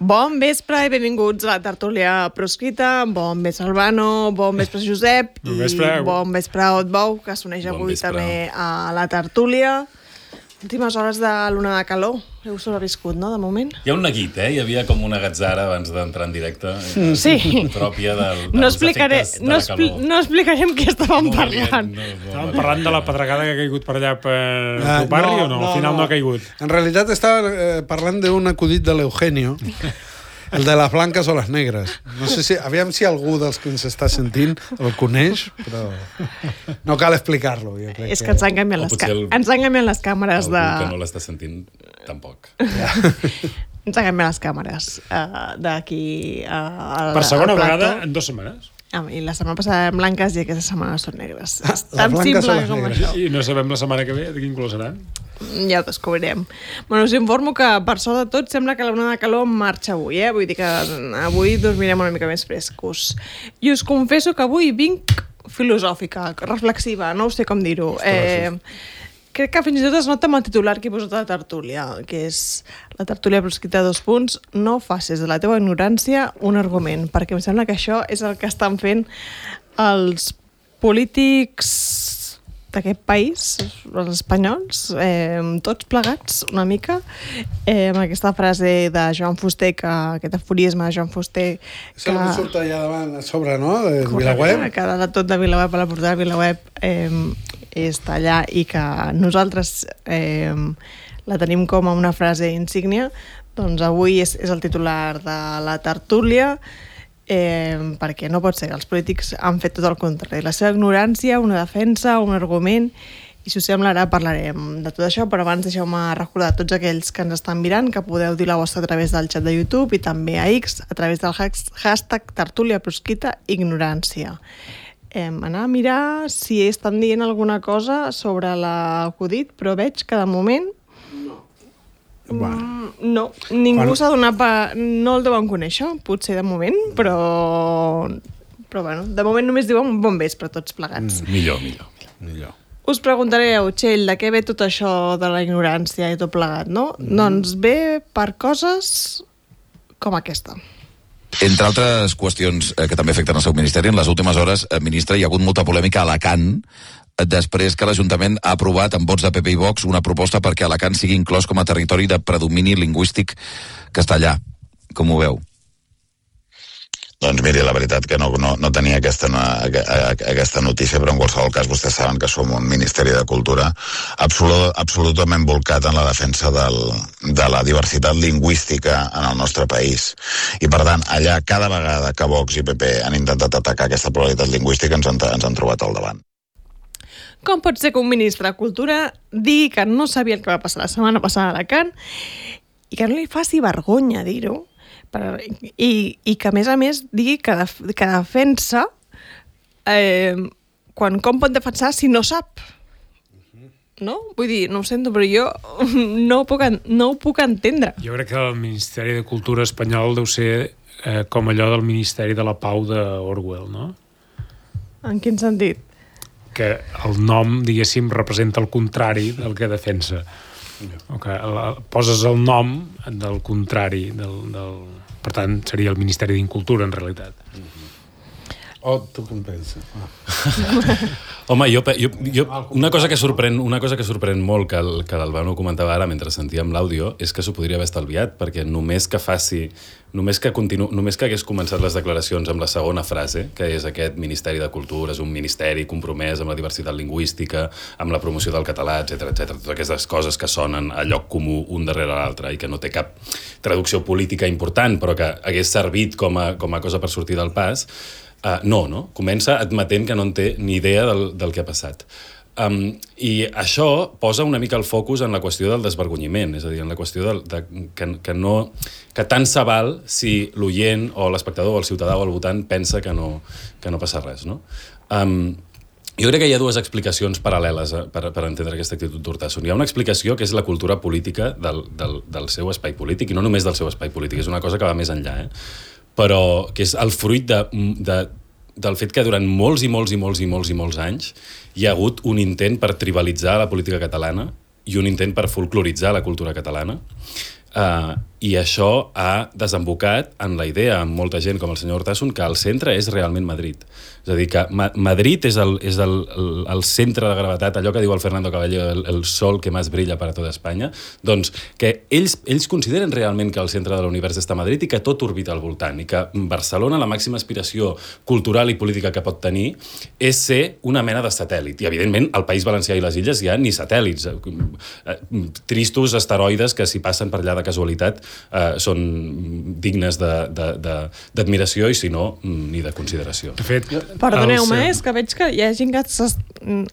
Bon vespre i benvinguts a la tertúlia proscrita. Bon vespre, Albano, bon vespre, Josep, i bon vespre, Otbou, que s'uneix avui també a la tertúlia. Últimes hores de luna de calor. Heu sobreviscut, no, de moment? Hi ha un neguit, Hi havia com una gatzara abans d'entrar en directe. Sí. Pròpia dels efectes de la calor. No explicarem què estàvem parlant. Estàvem parlant de la pedregada que ha caigut per allà per el barri o no? Al final no ha caigut. En realitat estava parlant d'un acudit de l'Eugenio, el de les blanques o les negres. No sé si, aviam si algú dels que ens està sentint el coneix, però no cal explicar-lo. És que ens han canviat les càmeres de... Algú que no l'està sentint, tampoc. Ja. Ens han canviat les càmeres d'aquí per segona vegada en 2 setmanes. I la setmana passada eren blanques i aquesta setmana són negres. És tan simple com això. I no sabem la setmana que ve de quin color serà. Ja ho descobrirem. Bueno, us informo que, per sort de tot, sembla que la onada de calor marxa avui, Vull dir que avui dormirem una mica més frescos. I us confesso que avui vinc filosòfica, reflexiva, no sé com dir-ho. Crec que fins i tot es nota amb el titular que he posat a la tertúlia, que és la tertúlia proscrita 2 punts, no facis de la teva ignorància un argument, perquè em sembla que això és el que estan fent els polítics d'aquest país, els espanyols, tots plegats una mica, amb aquesta frase de Joan Fuster, aquest aforisme de Joan Fuster... És el que surt allà davant a sobre, no?, de Vilaweb. Que de tot de Vilaweb, a la portada de Vilaweb, està allà i que nosaltres la tenim com a una frase insígnia. Doncs avui és el titular de la tertúlia, perquè no pot ser. Els polítics han fet tot el contrari. La seva ignorància, una defensa, un argument, i si us sembla ara parlarem de tot això, però abans deixeu-me recordar a tots aquells que ens estan mirant que podeu dir la vostra a través del xat de YouTube i també a X a través del hashtag tertúlia proscrita ignorància. Anar a mirar si estan dient alguna cosa sobre l'acudit, però veig que de moment no, ningú s'ha donat no el deuen conèixer, potser de moment, però bueno, de moment només diuen bon vespre tots plegats. Millor. Us preguntareu, Txell, de què ve tot això de la ignorància i tot plegat, no? Doncs ve per coses com aquesta. Entre altres qüestions que també afecten el seu ministeri, en les últimes hores, ministre, hi ha hagut molta polèmica a Alacant, després que l'Ajuntament ha aprovat amb vots de PP i Vox una proposta perquè Alacant sigui inclòs com a territori de predomini lingüístic castellà. Com ho veu? Doncs miri, la veritat que no tenia aquesta notícia, però en qualsevol cas vostès saben que som un Ministeri de Cultura absolutament volcat en la defensa de la diversitat lingüística en el nostre país. I per tant, allà cada vegada que Vox i PP han intentat atacar aquesta pluralitat lingüística ens han trobat al davant. Com pot ser que un ministre de Cultura digui que no sabia el que va passar la setmana passada a Alacant i que no li faci vergonya dir-ho? I que, a més, digui que defensa com pot defensar si no sap? No? Vull dir, no ho sento, però jo no ho puc entendre. Jo crec que el Ministeri de Cultura espanyol deu ser com allò del Ministeri de la Pau d'Orwell, no? En quin sentit? Que el nom, diguéssim, representa el contrari del que defensa. Poses el nom del contrari per tant seria el Ministeri d'Incultura en realitat. Tu com penses? Home, una cosa que sorprèn molt que l'Albano comentava ara mentre sentíem l'àudio és que s'ho podria haver estalviat, perquè només que hagués començat les declaracions amb la segona frase, que és aquest Ministeri de Cultura és un ministeri compromès amb la diversitat lingüística, amb la promoció del català, etc, totes aquestes coses que sonen a lloc comú un darrere l'altre i que no té cap traducció política important, però que hagués servit com a cosa per sortir del pas. No? Comença admetent que no en té ni idea del que ha passat. I això posa una mica el focus en la qüestió del desvergonyiment, és a dir, en la qüestió que tant se val si l'oient o l'espectador o el ciutadà o el votant pensa que no passa res, no? Jo crec que hi ha dues explicacions paral·leles per entendre aquesta actitud d'Urtasun. Hi ha una explicació que és la cultura política del seu espai polític, i no només del seu espai polític, és una cosa que va més enllà, però que és el fruit del fet que durant molts anys hi ha hagut un intent per tribalitzar la política catalana i un intent per folcloritzar la cultura catalana. I això ha desembocat en la idea, amb molta gent com el senyor Urtasun, que el centre és realment Madrid. És a dir, que Madrid és el centre de gravetat, allò que diu el Fernando Caballero, el sol que més brilla per a tota Espanya, doncs que ells consideren realment que el centre de l'univers està a Madrid i que tot orbita al voltant, i que Barcelona, la màxima aspiració cultural i política que pot tenir és ser una mena de satèl·lit. I, evidentment, al País Valencià i les Illes hi ha ni satèl·lits, tristos asteroides que, si passen per allà de casualitat, són dignes d'admiració i, si no, ni de consideració. De fet, perdoneu-me, és que veig que hi ha gent que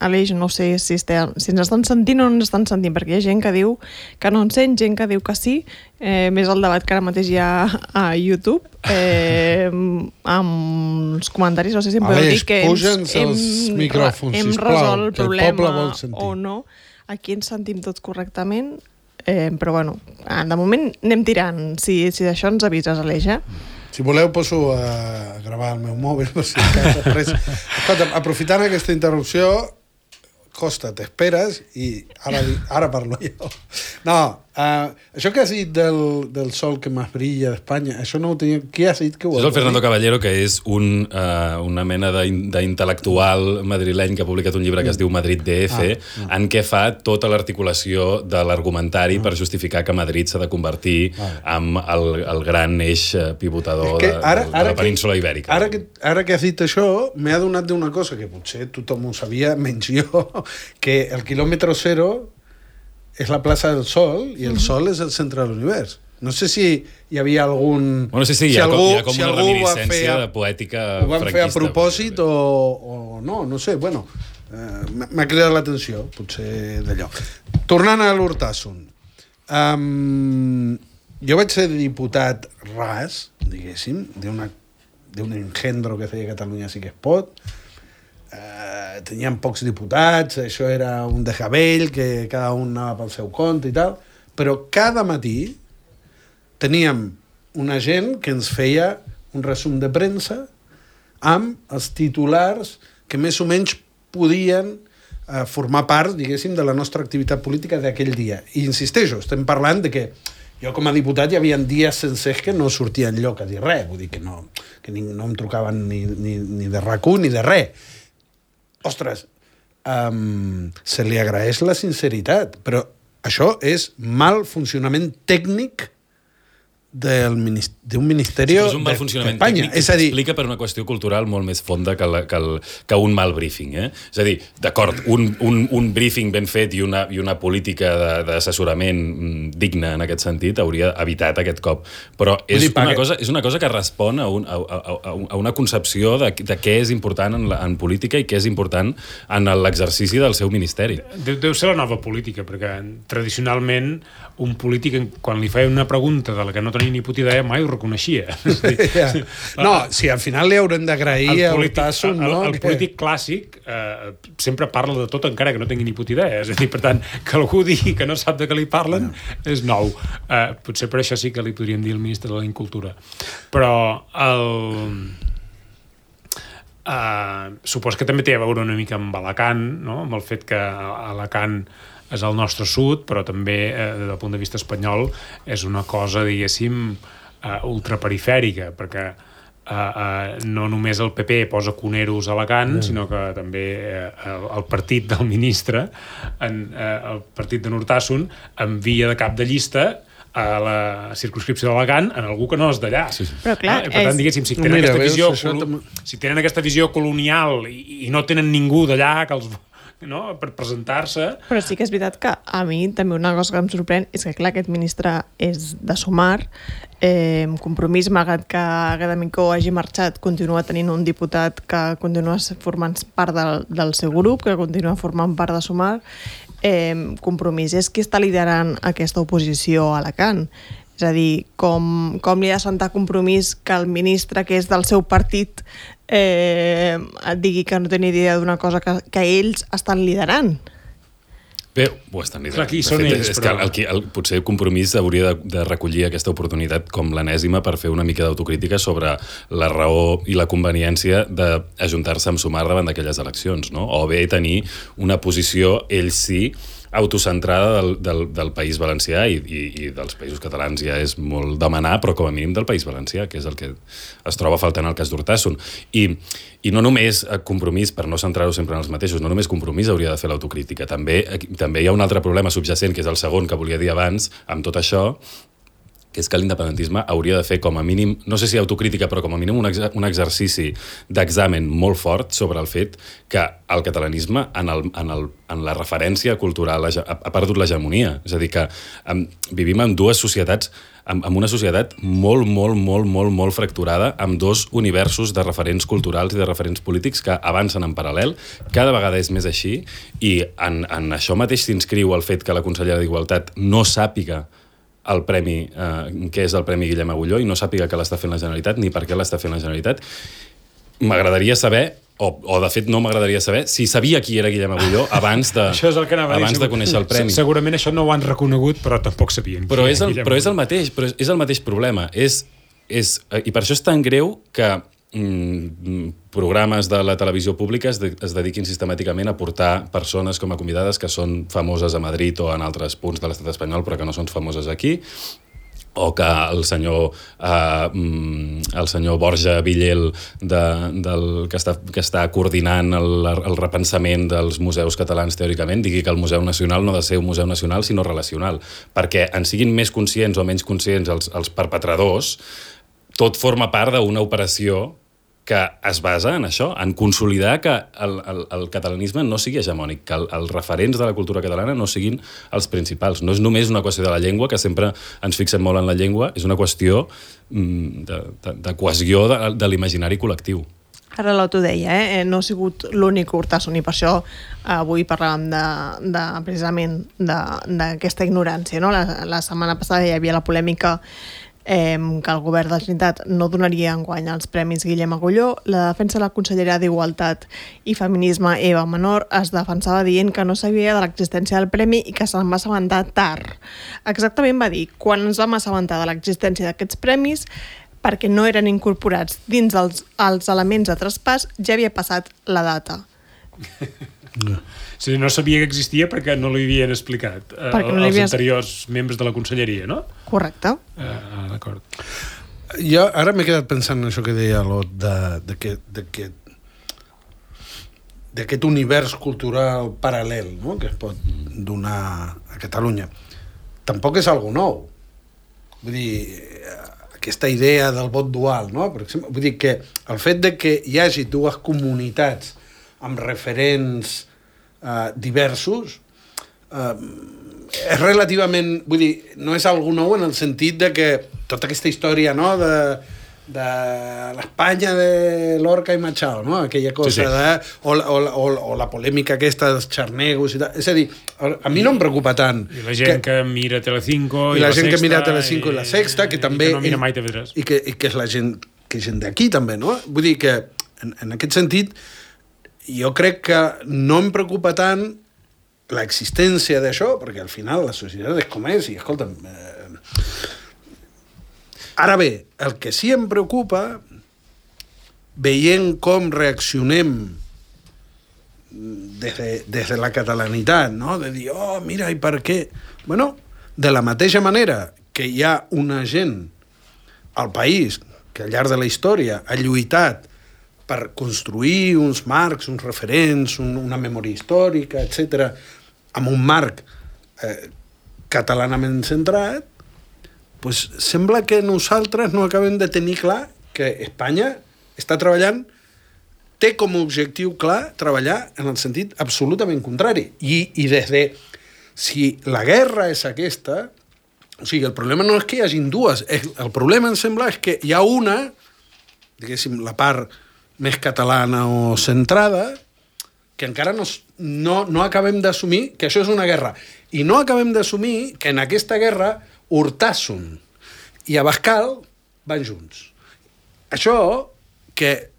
Aleix, no sé si ens estan sentint o no ens estan sentint, perquè hi ha gent que diu que no ens sent, gent que diu que sí, més el debat que ara mateix hi ha a YouTube, amb els comentaris, no sé si em podeu dir que hem resolt el problema o no. Aquí ens sentim tots correctament, però bueno, de moment anem tirant. Si d'això ens avises, Aleix, Si voleu, poso a gravar el meu mòbil, per si després... Escolta, aprofitant aquesta interrupció, Costa, t'esperes i ara parlo jo. No, això que has dit del sol que més brilla d'Espanya, això no ho tenia... Qui has dit que ho ha dit? És el Fernando Caballero, que és una mena d'intel·lectual madrileny que ha publicat un llibre que es diu Madrid DF, en què fa tota l'articulació de l'argumentari per justificar que Madrid s'ha de convertir en el gran eix pivotador de la península ibèrica. Ara que has dit això, m'he adonat d'una cosa que potser tothom ho sabia, menys jo, que el quilòmetre zero és la plaça del Sol i el Sol és el centre de l'univers. No sé si hi havia algun... Bueno, sí, hi ha com una reminiscència de poètica franquista. Ho van fer a propòsit o no, no sé, bueno, m'ha cridat l'atenció, potser d'allò. Tornant a l'Urtasun, jo vaig ser diputat ras, diguéssim, d'un engendro que feia Catalunya Sí que es pot. Teníem pocs diputats, això era un desgavell, que cada un anava pel seu compte i tal, però cada matí teníem una gent que ens feia un resum de premsa amb els titulars que més o menys podien formar part, diguéssim, de la nostra activitat política d'aquell dia. I insisteixo, estem parlant de que jo com a diputat hi havia dies sencers que no sortia enlloc a dir res, vull dir que no em trucaven ni de RAC1 ni de res. Ostres, se li agraeix la sinceritat, però això és mal funcionament tècnic d'un ministeri és un mal funcionament tècnic que s'explica per una qüestió cultural molt més fonda que un mal briefing. És a dir, d'acord, un briefing ben fet i una política d'assessorament digna en aquest sentit hauria evitat aquest cop. Però és una cosa que respon a una concepció de què és important en política i què és important en l'exercici del seu ministeri. Deu ser la nova política, perquè tradicionalment un polític, quan li feia una pregunta de la que no tenia ni puta idea, mai ho reconeixia. No, si al final li haurem d'agrair a Urtasun, no? El polític clàssic sempre parla de tot encara que no tingui ni puta idea. És a dir, per tant, que algú digui que no sap de què li parlen és nou. Potser per això sí que li podríem dir el ministre de la Incultura. Però supos que també té a veure una mica amb Alacant, no? Amb el fet que Alacant és el nostre sud, però també, des del punt de vista espanyol, és una cosa, diguéssim, ultraperifèrica, perquè no només el PP posa cuneros a Alacant, sinó que també el partit del ministre, el partit de Urtasun, envia de cap de llista a la circumscripció d'Alacant en algú que no és d'allà. Sí. Però clar, per tant, diguéssim, si tenen aquesta visió colonial i no tenen ningú d'allà que els... no? Per presentar-se. Però sí que és veritat que a mi també una cosa que em sorprèn és que, clar, aquest ministre és de Sumar, Compromís, malgrat que Gadamicó hagi marxat, continua tenint un diputat que continua formant part del seu grup, que continua formant part de Sumar. Compromís és qui està liderant aquesta oposició a Alacant. És a dir, com li ha de sentar compromís que el ministre, que és del seu partit, et digui que no té ni idea d'una cosa que ells estan liderant. Bé, ho estan liderant. Clar, aquí són ells, és però... que potser el Compromís hauria de recollir aquesta oportunitat com l'enèsima per fer una mica d'autocrítica sobre la raó i la conveniència d'ajuntar-se amb Sumar davant d'aquelles eleccions, no? O bé tenir una posició, ells sí, autocentrada del País Valencià i dels països catalans ja és molt demanar, però com a mínim del País Valencià, que és el que es troba faltant al cas d'Urtasun. I no només Compromís, per no centrar-ho sempre en els mateixos, no només Compromís hauria de fer l'autocrítica, també hi ha un altre problema subjacent, que és el segon que volia dir abans, amb tot això, que és que l'independentisme hauria de fer com a mínim, no sé si autocrítica, però com a mínim un exercici d'examen molt fort sobre el fet que el catalanisme en la referència cultural ha perdut l'hegemonia. És a dir, que vivim en dues societats, amb una societat molt fracturada, amb dos universos de referents culturals i de referents polítics que avancen en paral·lel. Cada vegada és més així i en això mateix s'inscriu el fet que la consellera d'Igualtat no sàpiga el premi, que és el Premi Guillem Agulló, i no sàpiga que l'està fent la Generalitat ni per què l'està fent la Generalitat. M'agradaria saber, o de fet no m'agradaria saber, si sabia qui era Guillem Agulló abans de conèixer el premi. Segurament això no ho han reconegut, però tampoc sabien. Però és el mateix problema. I per això és tan greu que programes de la televisió pública es dediquin sistemàticament a portar persones com a convidades que són famoses a Madrid o en altres punts de l'estat espanyol però que no són famoses aquí, o que el senyor Borja Villel que està coordinant el repensament dels museus catalans teòricament digui que el Museu Nacional no ha de ser un museu nacional sinó relacional, perquè en siguin més conscients o menys conscients els perpetradors, tot forma part d'una operació que es basa en això, en consolidar que el catalanisme no sigui hegemònic, que els referents de la cultura catalana no siguin els principals. No és només una qüestió de la llengua, que sempre ens fixem molt en la llengua, és una qüestió de cohesió de l'imaginari col·lectiu. Ara l'Otto deia, no ha sigut l'únic Urtasun, i per això avui parlàvem precisament d'aquesta ignorància. No? La setmana passada hi havia la polèmica que el govern de la Generalitat no donaria enguany els Premis Guillem Agulló. La defensa de la consellera d'Igualtat i Feminisme, Eva Menor, es defensava dient que no sabia de l'existència del premi i que se'n va assabentar tard. Exactament va dir, quan ens vam assabentar de l'existència d'aquests premis, perquè no eren incorporats dins els elements de traspàs, ja havia passat la data. Sí, no sabia que existia perquè no li havien explicat els anteriors membres de la conselleria, no? Correcte. D'acord. Jo ara m'he quedat pensant en això que deia l'Ot, d'aquest univers cultural paral·lel, no?, que es pot donar a Catalunya. Tampoc és algo nou. Vull dir, aquesta idea del vot dual, no? Per exemple, vull dir que el fet de que hi hagi dues comunitats amb referents diversos és relativament, vull dir, no és algo nou en el sentit de que tota aquesta història, no?, de l'Espanya de Lorca i Machado, no?, aquella cosa, sí. O la polèmica aquesta dels xarnegos i tal. És a dir, a mi no em preocupa tant. I la gent que mira Telecinco i la gent que mira Telecinco i la Sexta, que també... I que no mira mai TV3. I que és la gent d'aquí també, no? Vull dir que en aquest sentit jo crec que no em preocupa tant l'existència d'això, perquè al final la societat és com és, i escolta'm... Ara bé, el que sí em preocupa, veient com reaccionem des de la catalanitat, no?, de dir, oh, mira, i per què? Bueno, de la mateixa manera que hi ha una gent al país que al llarg de la història ha lluitat per construir uns marcs, uns referents, una memòria històrica, etc., amb un marc catalanament centrat, pues sembla que nosaltres no acabem de tenir clar que Espanya està treballant, té com a objectiu clar treballar en el sentit absolutament contrari. I des de... Si la guerra és aquesta... O sigui, el problema no és que hi hagin dues. El problema, em sembla, és que hi ha una, diguéssim, la part més catalana o centrada, que encara no acabem d'assumir que això és una guerra. I no acabem d'assumir que en aquesta guerra Urtasun, i Abascal van junts. Això, que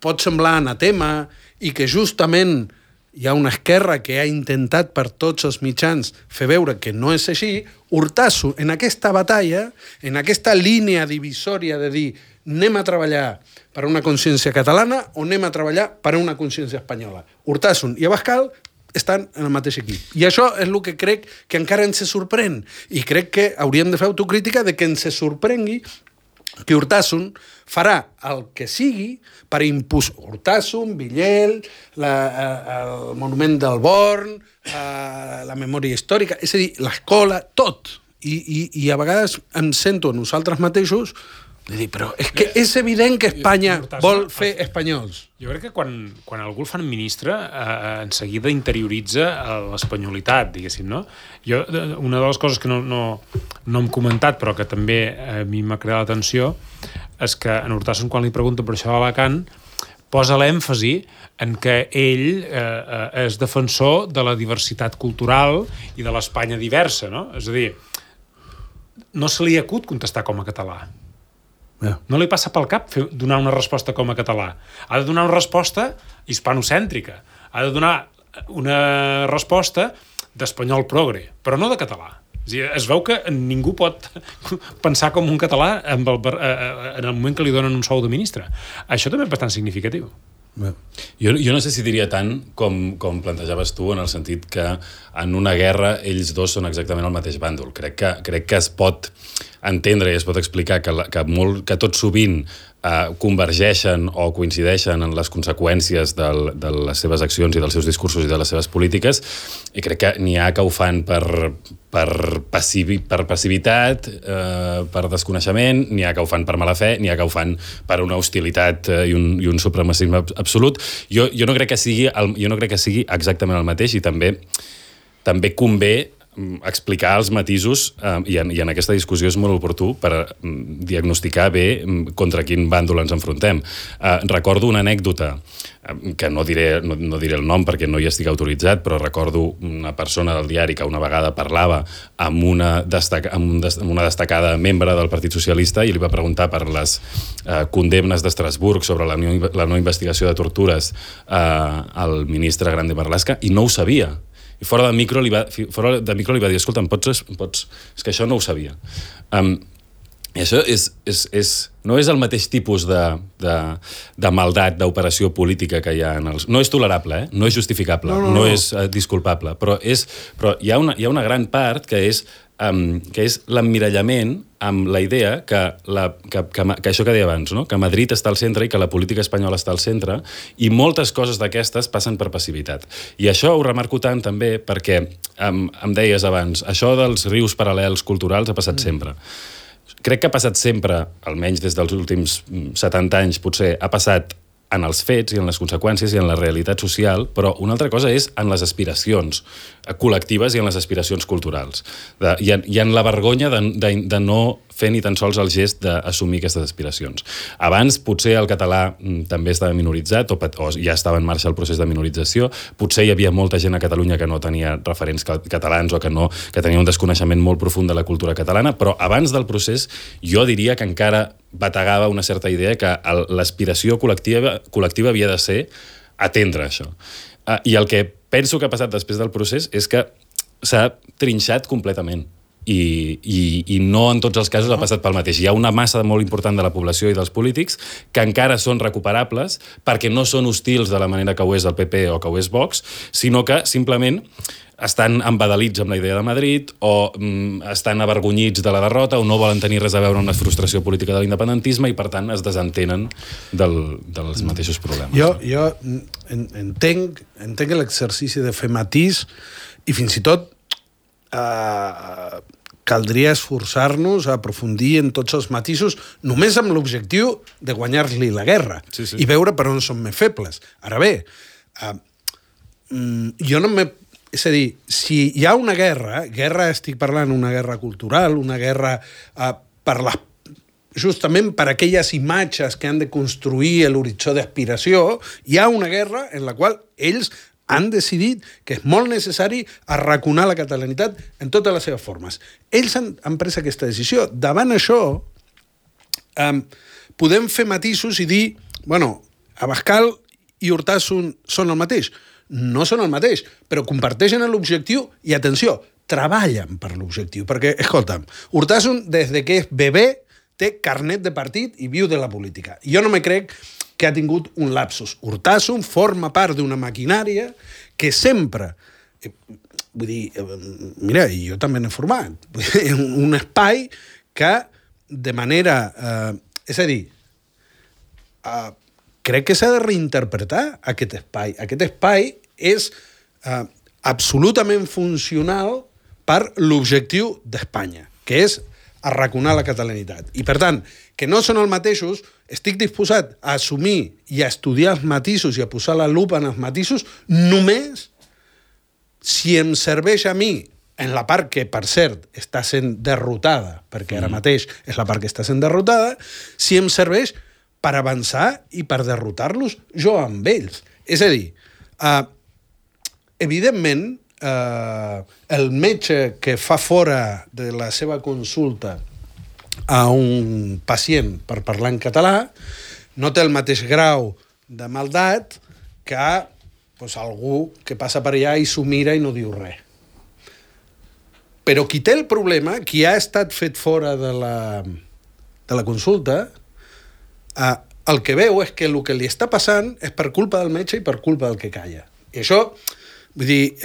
pot semblar anatema i que justament hi ha una esquerra que ha intentat per tots els mitjans fer veure que no és així, Urtasun, en aquesta batalla, en aquesta línia divisòria de dir anem a treballar per una consciència catalana o anem a treballar per una consciència espanyola. Urtasun i Abascal estan en el mateix equip. I això és el que crec que encara ens sorprèn. I crec que hauríem de fer autocrítica de que ens sorprengui que Urtasun farà el que sigui per imposar Urtasun, Villel, el monument del Born, la memòria històrica, és a dir, l'escola, tot. I a vegades em sento a nosaltres mateixos de dir, però és que és evident que Espanya vol fer espanyols. Jo crec que quan algú el fan ministre, en seguida interioritza l'espanyolitat, diguéssim, no? Jo, una de les coses que no hem comentat, però que també a mi m'ha creat l'atenció, és que en Urtasun, quan li pregunten per això a Alacant, posa l'èmfasi en que ell és defensor de la diversitat cultural i de l'Espanya diversa, no? És a dir, no se li acut contestar com a català. No li passa pel cap donar una resposta com a català. Ha de donar una resposta hispanocèntrica. Ha de donar una resposta d'espanyol progre, però no de català. Es veu que ningú pot pensar com un català en el moment que li donen un sou de ministre. Això també és bastant significatiu. Jo no sé si diria tant com plantejaves tu, en el sentit que en una guerra ells dos són exactament el mateix bàndol. Crec que es pot entendre i es pot explicar que tot sovint convergeixen o coincideixen en les conseqüències de les seves accions i dels seus discursos i de les seves polítiques, i crec que n'hi ha que ho fan per passivitat, per desconeixement, n'hi ha que ho fan per mala fe, n'hi ha que ho fan per una hostilitat i un supremacisme absolut. Jo no crec que sigui exactament el mateix, i també convé explicar els matisos, i en aquesta discussió és molt oportú per diagnosticar bé contra quin bàndol ens enfrontem. Recordo una anècdota, que no diré el nom perquè no hi estic autoritzat, però recordo una persona del diari que una vegada parlava amb una destacada membre del Partit Socialista i li va preguntar per les condemnes d'Estrasburg sobre la no investigació de tortures al ministre Grande Marlaska, i no ho sabia. I fora de micro li va dir, escolta'm, és que això no ho sabia. I això no és el mateix tipus de maldat, d'operació política que hi ha en els... No és tolerable, no és justificable, no és disculpable, però hi ha una gran part que és l'emmirallament amb la idea que això que deia abans, no? Que Madrid està al centre i que la política espanyola està al centre, i moltes coses d'aquestes passen per passivitat. I això ho remarco tant també perquè em deies abans, això dels rius paral·lels culturals ha passat sempre. Crec que ha passat sempre, almenys des dels últims 70 anys potser, ha passat en els fets i en les conseqüències i en la realitat social, però una altra cosa és en les aspiracions col·lectives i en les aspiracions culturals. I en la vergonya de no fer ni tan sols el gest d'assumir aquestes aspiracions. Abans, potser el català també estava minoritzat, o ja estava en marxa el procés de minorització, potser hi havia molta gent a Catalunya que no tenia referents catalans o que tenia un desconeixement molt profund de la cultura catalana, però abans del procés jo diria que encara bategava una certa idea que l'aspiració col·lectiva havia de ser atendre això. I el que penso que ha passat després del procés és que s'ha trinxat completament. I no en tots els casos ha passat pel mateix. Hi ha una massa molt important de la població i dels polítics que encara són recuperables perquè no són hostils de la manera que ho és el PP o que ho és Vox, sinó que simplement estan embadalits amb la idea de Madrid o estan avergonyits de la derrota o no volen tenir res a veure amb la frustració política de l'independentisme i, per tant, es desentenen dels mateixos problemes. Jo entenc l'exercici de fer matís i fins i tot caldria esforçar-nos a aprofundir en tots els matisos només amb l'objectiu de guanyar-li la guerra i veure per on són més febles. Ara bé, jo no m'he... És a dir, si hi ha una guerra estic parlant una guerra cultural, una guerra justament per aquelles imatges que han de construir l'horitzó d'aspiració, hi ha una guerra en la qual ells han decidit que és molt necessari arraconar la catalanitat en totes les seves formes. Ells han pres aquesta decisió. Davant això, podem fer matisos i dir, bueno, Abascal i Urtasun són el mateix. No són el mateix, però comparteixen l'objectiu i, atenció, treballen per l'objectiu. Perquè, escolta'm, Urtasun, des que és bebè, té carnet de partit i viu de la política. Jo no me crec que ha tingut un lapsus. Urtasun forma part d'una maquinària que sempre... Vull dir, mira, jo també n'he format. Un espai que, de manera... és a dir, crec que s'ha de reinterpretar aquest espai. Aquest espai és absolutament funcional per l'objectiu d'Espanya, que és arraconar la catalanitat. I, per tant, que no són els mateixos, estic disposat a assumir i a estudiar els matisos i a posar la lupa en els matisos només si em serveix a mi, en la part que, per cert, està sent derrotada, perquè ara mateix és la part que està sent derrotada, si em serveix per avançar i per derrotar-los jo amb ells. És a dir, evidentment, el metge que fa fora de la seva consulta a un pacient per parlar en català no té el mateix grau de maldat que algú que passa per allà i s'ho mira i no diu res. Però qui té el problema, qui ha estat fet fora de la consulta, el que veu és que el que li està passant és per culpa del metge i per culpa del que calla. I això... Vull dir,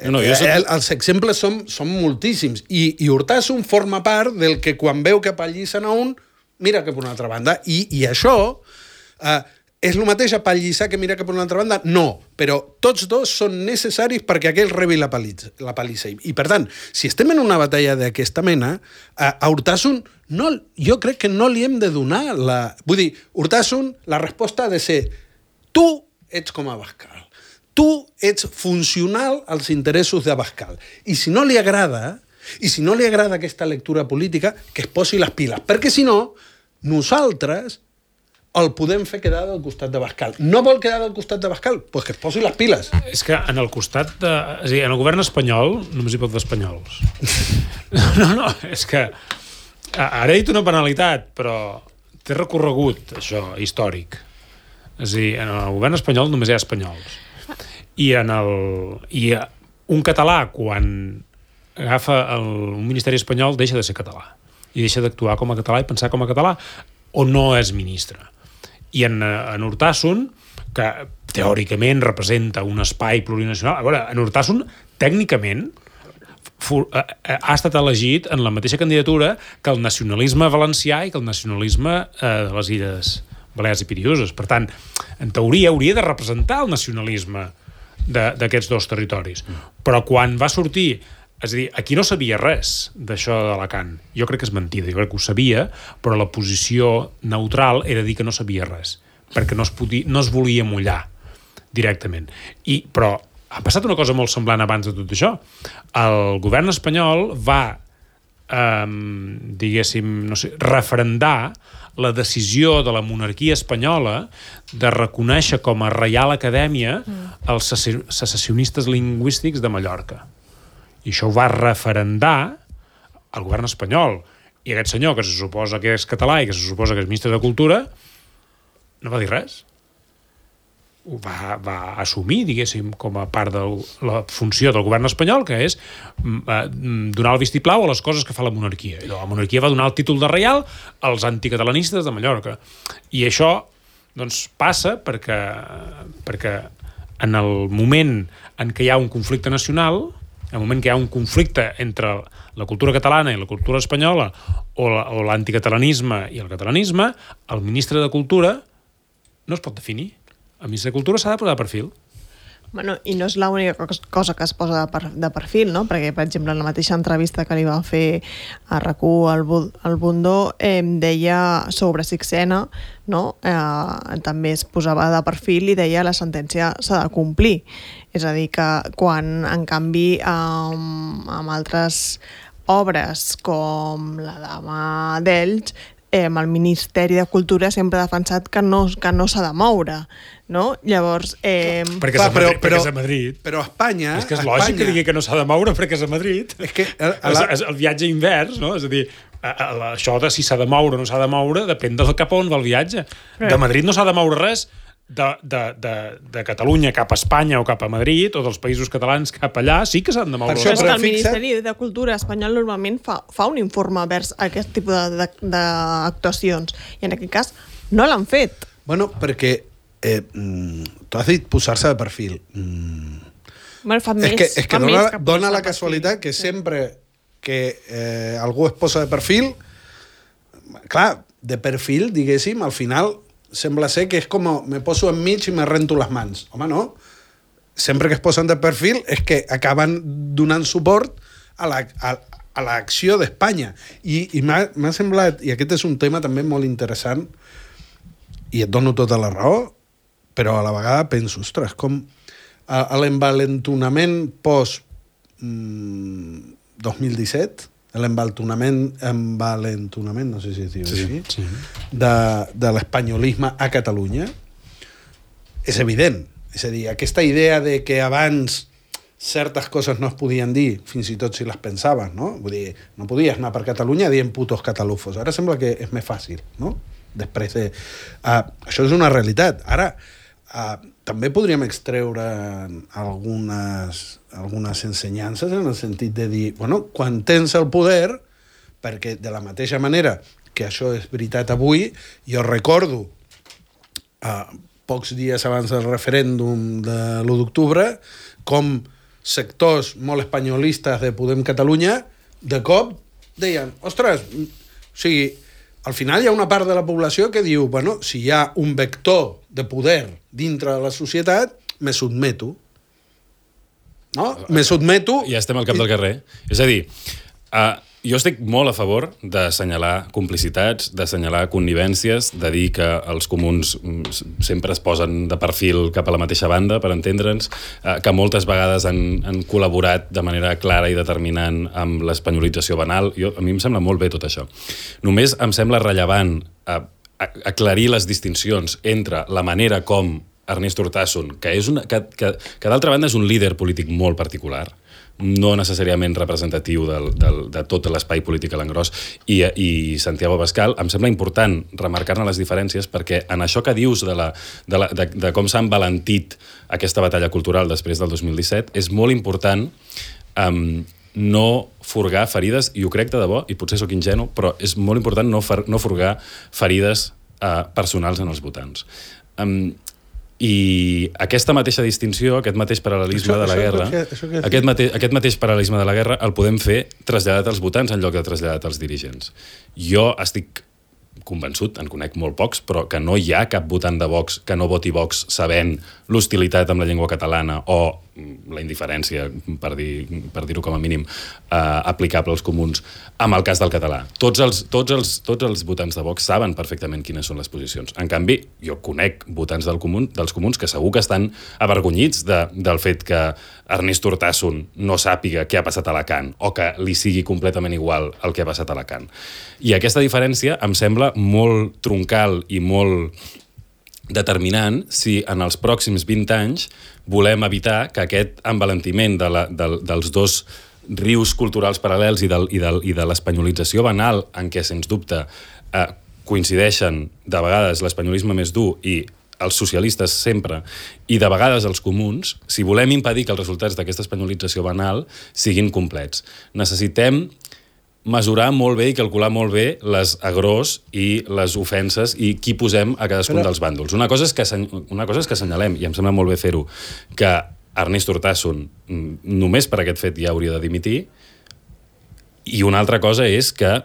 els exemples són moltíssims. I Urtasun forma part del que quan veu que apallisen a un, mira cap a una altra banda. I això és el mateix apallissar que mira cap a una altra banda? No, però tots dos són necessaris perquè aquell rebi la pallissa. I per tant, si estem en una batalla d'aquesta mena, a Urtasun jo crec que no li hem de donar la... Vull dir, Urtasun, la resposta ha de ser tu ets com Abascal. Tu ets funcional als interessos d'Abascal. I si no li agrada aquesta lectura política, que es posi les piles. Perquè si no, nosaltres el podem fer quedar del costat d'Abascal. No vol quedar del costat d'Abascal? Doncs que es posi les piles. És que en el costat de... És a dir, en el govern espanyol només hi pot d'espanyols. No, és que... Ara he dit una banalitat, però té recorregut, això, històric. És a dir, en el govern espanyol només hi ha espanyols. I un català, quan agafa un ministeri espanyol, deixa de ser català i deixa d'actuar com a català i pensar com a català, o no és ministre. I en Urtasun, que teòricament representa un espai plurinacional, a veure, en Urtasun tècnicament ha estat elegit en la mateixa candidatura que el nacionalisme valencià i que el nacionalisme de les Illes Balears i Piriuses. Per tant, en teoria hauria de representar el nacionalisme d'aquests dos territoris. Però quan va sortir... És a dir, aquí no sabia res d'això d'Alacant. Jo crec que és mentida, jo crec que ho sabia, però la posició neutral era dir que no sabia res, perquè no es volia mullar directament. Però ha passat una cosa molt semblant abans de tot això. El govern espanyol va, referendar la decisió de la monarquia espanyola de reconèixer com a Reial Acadèmia els secessionistes lingüístics de Mallorca. I això ho va referendar el govern espanyol. I aquest senyor, que se suposa que és català i que se suposa que és ministre de Cultura, no va dir res. Ho va assumir, diguéssim, com a part de la funció del govern espanyol, que és donar el vistiplau a les coses que fa la monarquia. I la monarquia va donar el títol de reial als anticatalanistes de Mallorca. I això doncs, passa perquè en el moment en què hi ha un conflicte nacional, en el moment que hi ha un conflicte entre la cultura catalana i la cultura espanyola o l'anticatalanisme i el catalanisme, el ministre de Cultura no es pot definir. El ministre de Cultura s'ha de posar de perfil. Bueno, i no és l'única cosa que es posa de perfil, no? Perquè, per exemple, en la mateixa entrevista que li va fer a RAC1 al Bundó, deia sobre Sixena, no? També es posava de perfil i deia la sentència s'ha de complir. És a dir, que quan, en canvi, amb altres obres com La dama d'Elx, el Ministeri de Cultura sempre ha defensat que no s'ha de moure, no? Llavors... Perquè és a Madrid. Però a Espanya... És que és lògic que digui que no s'ha de moure perquè és a Madrid. És que... És el viatge invers, no? És a dir, això de si s'ha de moure o no s'ha de moure depèn del cap on va el viatge. De Madrid no s'ha de moure res, de Catalunya cap a Espanya o cap a Madrid, o dels països catalans cap allà, sí que s'han de moure. Però és que el Ministeri de Cultura espanyol normalment fa un informe vers aquest tipus d'actuacions, i en aquest cas no l'han fet. Bueno, perquè tu has dit posar-se de perfil. És que dona la casualitat que sempre que algú es posa de perfil, clar, de perfil, diguéssim, al final sembla ser que és com me poso enmig i me rento les mans. Home, no. Sempre que es posen de perfil és que acaben donant suport a l'acció d'Espanya. I m'ha semblat, i aquest és un tema també molt interessant, i et dono tota la raó, però a la vegada penso, ostres, com l'envalentonament post 2017, l'envalentonament, no sé si es diu així, de l'espanyolisme a Catalunya, és evident. És a dir, aquesta idea de que abans certes coses no es podien dir, fins i tot si les pensaves, no? Vull dir, no podies anar per Catalunya dient putos catalufos. Ara sembla que és més fàcil, no? Després de... això és una realitat. Ara, també podríem extreure algunes ensenyances en el sentit de dir, bueno, quan tens el poder, perquè de la mateixa manera que això és veritat avui, jo recordo pocs dies abans del referèndum de l'1 d'octubre com sectors molt espanyolistes de Podem Catalunya de cop deien, ostres, o sigui, al final hi ha una part de la població que diu, bueno, si hi ha un vector de poder dintre de la societat, me sotmeto. No? Me sotmeto... Ja estem al cap del carrer. És a dir, jo estic molt a favor d'assenyalar complicitats, d'assenyalar connivències, de dir que els comuns sempre es posen de perfil cap a la mateixa banda, per entendre'ns, que moltes vegades han col·laborat de manera clara i determinant amb l'espanyolització banal. A mi em sembla molt bé tot això. Només em sembla rellevant aclarir les distincions entre la manera com Ernest Urtasun, que d'altra banda és un líder polític molt particular, no necessàriament representatiu de tot l'espai polític a l'engròs, i Santiago Abascal, em sembla important remarcar-ne les diferències, perquè en això que dius de com s'ha envalentit aquesta batalla cultural després del 2017, és molt important no furgar ferides, i ho crec de debò, i potser sóc ingenu, però és molt important no furgar ferides personals en els votants. I aquesta mateixa distinció, aquest mateix paral·lelisme de la guerra, aquest mateix paral·lelisme de la guerra el podem fer traslladat als votants en lloc de traslladat als dirigents. Jo estic convençut, en conec molt pocs, però que no hi ha cap votant de Vox que no voti Vox sabent l'hostilitat amb la llengua catalana o la indiferència, per dir-ho com a mínim, aplicable als comuns, amb el cas del català. Tots els votants de Vox saben perfectament quines són les posicions. En canvi, jo conec votants dels comuns que segur que estan avergonyits del fet que Ernest Urtasun no sàpiga què ha passat a Alacant o que li sigui completament igual el que ha passat a Alacant. I aquesta diferència em sembla molt troncal i molt determinant si en els pròxims 20 anys volem evitar que aquest envalentiment dels dos rius culturals paral·lels i de l'espanyolització banal en què, sens dubte, coincideixen de vegades l'espanyolisme més dur i els socialistes sempre, i de vegades els comuns, si volem impedir que els resultats d'aquesta espanyolització banal siguin complets. Necessitem mesurar molt bé i calcular molt bé les agrors i les ofenses i qui posem a cadascun dels bàndols. Una cosa és que assenyalem, i em sembla molt bé fer-ho, que Ernest Urtasun només per aquest fet ja hauria de dimitir, i una altra cosa és que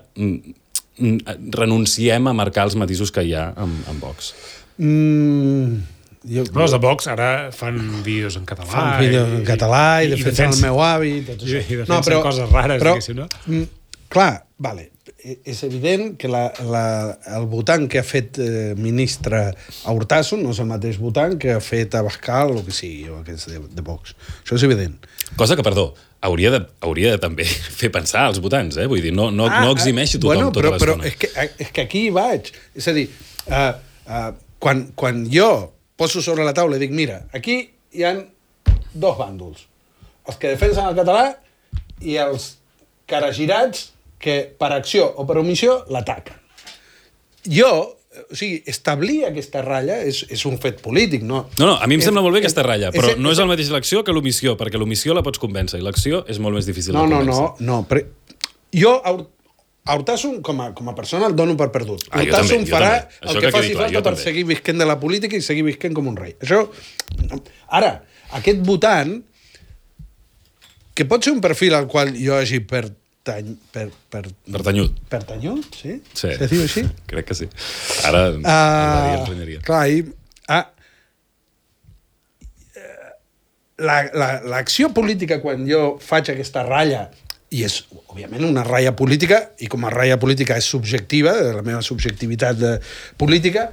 renunciem a marcar els matisos que hi ha amb Vox. Els de Vox ara fan vídeos en català. Fan vídeos en català i defensen el meu avi. I defensen coses rares, diguéssim, no? clar, vale, és evident que el votant que ha fet ministre a Urtasun no és el mateix votant que ha fet a Bascal o que sigui, o que és de Vox. Això és evident. Cosa que, perdó, hauria de també fer pensar als votants, Vull dir, no eximeixi tothom tota l'estona. Però és que aquí hi vaig. És a dir, quan jo poso sobre la taula i dic, mira, aquí hi ha dos bàndols. Els que defensen el català i els caragirats que per acció o per omissió l'ataquen. O sigui, establir aquesta ratlla és un fet polític, no? No, a mi em sembla molt bé aquesta ratlla, però no és el mateix l'acció que l'omissió, perquè l'omissió la pots convèncer i l'acció és molt més difícil de convèncer. No, però jo a Urtasun, com a persona, el dono per perdut. Urtasun farà el que faci falta per seguir visquent de la política i seguir visquent com un rei. Això... Ara, aquest votant, que pot ser un perfil al qual jo hagi pertanyut, sí? Sí. Se diu així? Crec que sí. Ara ens renyaria. Clar, l'acció política, quan jo faig aquesta ratlla, i és, òbviament, una ratlla política, i com a ratlla política és subjectiva, la meva subjectivitat política,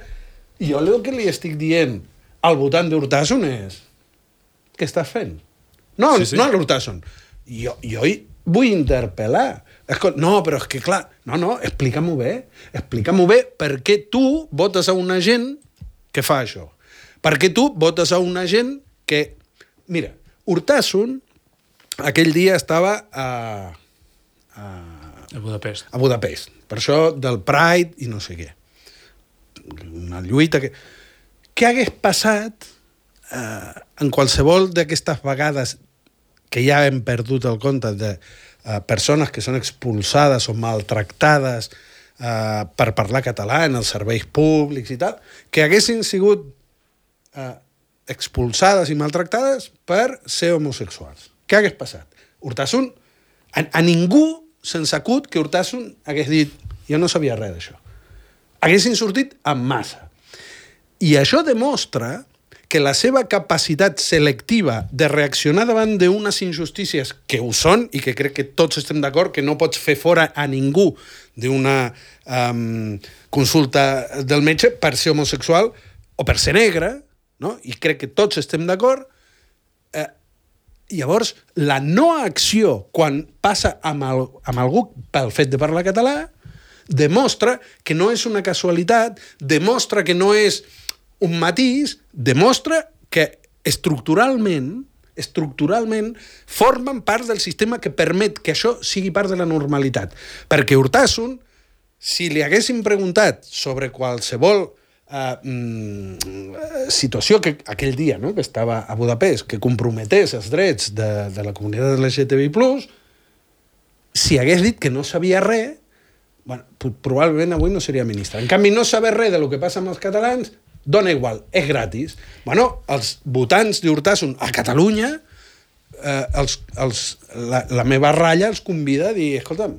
i jo el que li estic dient al votant d'Urtasun és: què estàs fent? No a l'Urtasun. Jo vull interpel·lar. No, però és que, clar, explica-m'ho bé per què tu votes a una gent que fa això. Per què tu votes a una gent que... Mira, Urtasun aquell dia estava a Budapest. A Budapest. Per això del Pride i no sé què. Una lluita que... Què hagués passat en qualsevol d'aquestes vegades que ja hem perdut el compte de persones que són expulsades o maltractades per parlar català en els serveis públics i tal, que haguessin sigut expulsades i maltractades per ser homosexuals. Què hagués passat? Urtasun, a ningú se'ns acut que Urtasun hagués dit: jo no sabia res d'això. Haguessin sortit en massa. I això demostra que la seva capacitat selectiva de reaccionar davant d'unes injustícies que ho són, i que crec que tots estem d'acord que no pots fer fora a ningú d'una consulta del metge per ser homosexual o per ser negre, no? I crec que tots estem d'acord. Llavors, la no acció quan passa amb algú pel fet de parlar català demostra que no és una casualitat, demostra que no és un matís, demostra que estructuralment formen part del sistema que permet que això sigui part de la normalitat. Perquè Urtasun, si li haguéssim preguntat sobre qualsevol situació que aquell dia, no?, que estava a Budapest, que comprometés els drets de la comunitat LGTBI+, si hagués dit que no sabia res, bueno, probablement avui no seria ministre. En canvi, no saber res del que passa amb els catalans dona igual, és gratis. Bueno, els votants d'Urtasun a Catalunya, la meva ratlla els convida a dir: escolta'm...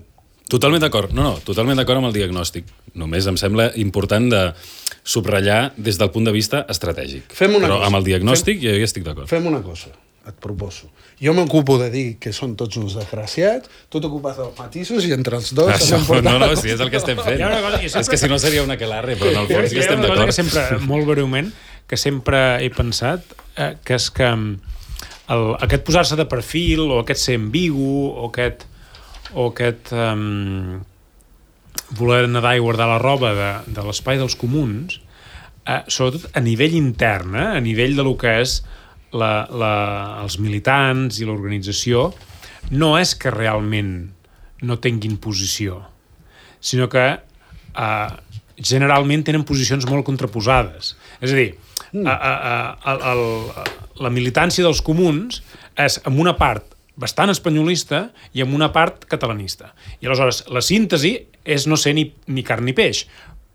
Totalment d'acord. Totalment d'acord amb el diagnòstic. Només em sembla important de subratllar des del punt de vista estratègic. Però amb el diagnòstic jo hi estic d'acord. Fem una cosa, et proposo. Jo m'ocupo de dir que són tots uns desgraciats, tu t'ocupes dels matisos i entre els dos... Si és el que estem fent. És que si no seria una aquelarre, però en el fons hi estem d'acord. Molt breument, que sempre he pensat, que és que aquest posar-se de perfil, o aquest ser ambigu, o aquest voler nedar i guardar la roba de l'espai dels comuns, sobretot a nivell intern, a nivell de lo que és els militants i l'organització, no és que realment no tinguin posició, sinó que generalment tenen posicions molt contraposades. És a dir, la militància dels comuns és amb una part bastant espanyolista i amb una part catalanista. I aleshores la síntesi és no ser ni carn ni peix.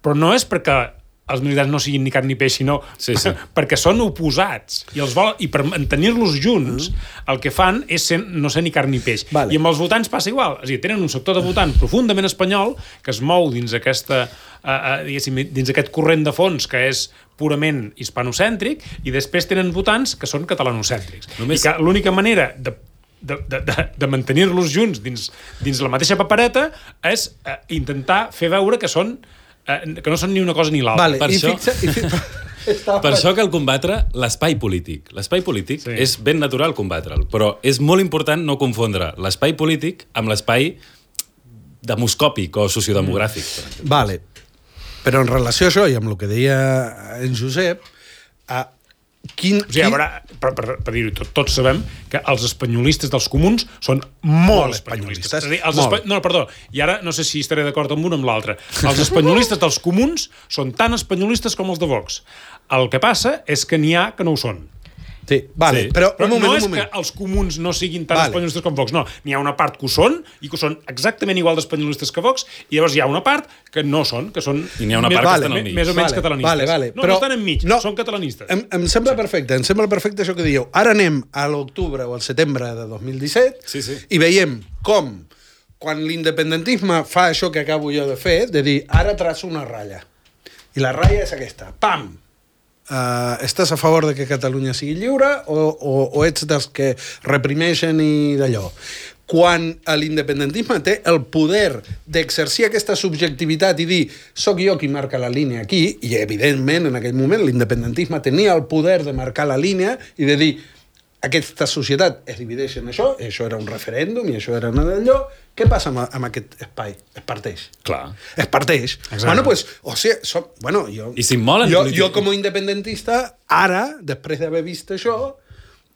Però no és perquè els militants no siguin ni carn ni peix, sinó perquè són oposats. I per mantenir-los junts, el que fan és no ser ni carn ni peix. Vale. I amb els votants passa igual. És a dir, tenen un sector de votant profundament espanyol que es mou dins dins aquest corrent de fons que és purament hispanocèntric, i després tenen votants que són catalanocèntrics. I que l'única manera de de mantenir-los junts dins la mateixa papereta és intentar fer veure que no són ni una cosa ni l'altra. Vale, Per això- Per això cal combatre l'espai polític. L'espai polític és ben natural combatre'l, però és molt important no confondre l'espai polític amb l'espai demoscòpic o sociodemogràfic. Vale. Però en relació a això, i amb el que deia en Josep, O sigui, a veure, per dir-ho tot, tots sabem que els espanyolistes dels comuns són molt espanyolistes. És a dir, no, perdó, i ara no sé si estaré d'acord amb un o amb l'altre. Els espanyolistes dels comuns són tan espanyolistes com els de Vox. El que passa és que n'hi ha que no ho són. Sí, vale, Sí. però un moment, no un és moment. que els comuns no siguin tan Vale. espanyolistes com Vox, no. N'hi ha una part que ho són, i que ho són exactament igual d'espanyolistes que Vox, i llavors hi ha una part que no són, que són I n'hi ha una part que estan al mig. més o menys catalanistes. Vale, no, però- no estan enmig, no. són catalanistes. Em sembla perfecte, això que dieu. Ara anem a l'octubre o al setembre de 2017 Sí. i veiem com, quan l'independentisme fa això que acabo jo de fer, de dir, ara traço una ratlla. I la ratlla és aquesta. Pam! Estàs a favor de que Catalunya sigui lliure o ets dels que reprimeixen i d'allò? Quan l'independentisme té el poder d'exercir aquesta subjectivitat i dir soc jo qui marca la línia aquí, i evidentment en aquell moment l'independentisme tenia el poder de marcar la línia i de dir aquesta societat es divideix en això era un referèndum i això era d'allò, què passa amb aquest espai? Es parteix. Clar. Es parteix. Exacte. Bueno, pues, o sigui, jo... I s'immolen jo, polític. jo com a independentista, ara, després d'haver vist això,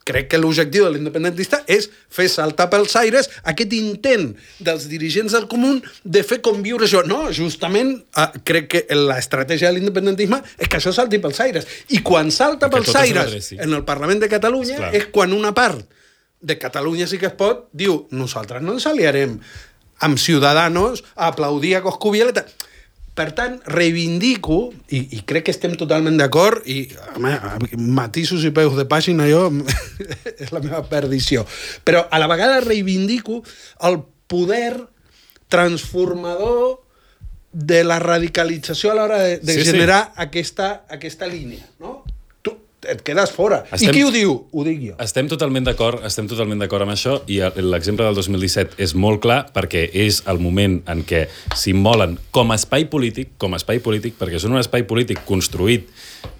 crec que l'objectiu de l'independentista és fer saltar pels aires aquest intent dels dirigents del comú de fer conviure això. No, justament crec que l'estratègia de l'independentisme és que això salti pels aires. I quan salta Que pels tot es aires redreci. en el Parlament de Catalunya Esclar. és quan una part de Catalunya sí que es pot diu nosaltres no ens aliarem amb Ciudadanos a aplaudir a Coscubiela. Per tant, reivindico, i crec que estem totalment d'acord, i home, matisos i peus de pàgina jo és la meva perdició, però a la vegada reivindico el poder transformador de la radicalització a l'hora de generar aquesta línia, no? Tu et quedes fora. I qui ho diu? Ho dic jo. Estem totalment d'acord amb això, i l'exemple del 2017 és molt clar perquè és el moment en què s'immolen com a espai polític, perquè són un espai polític construït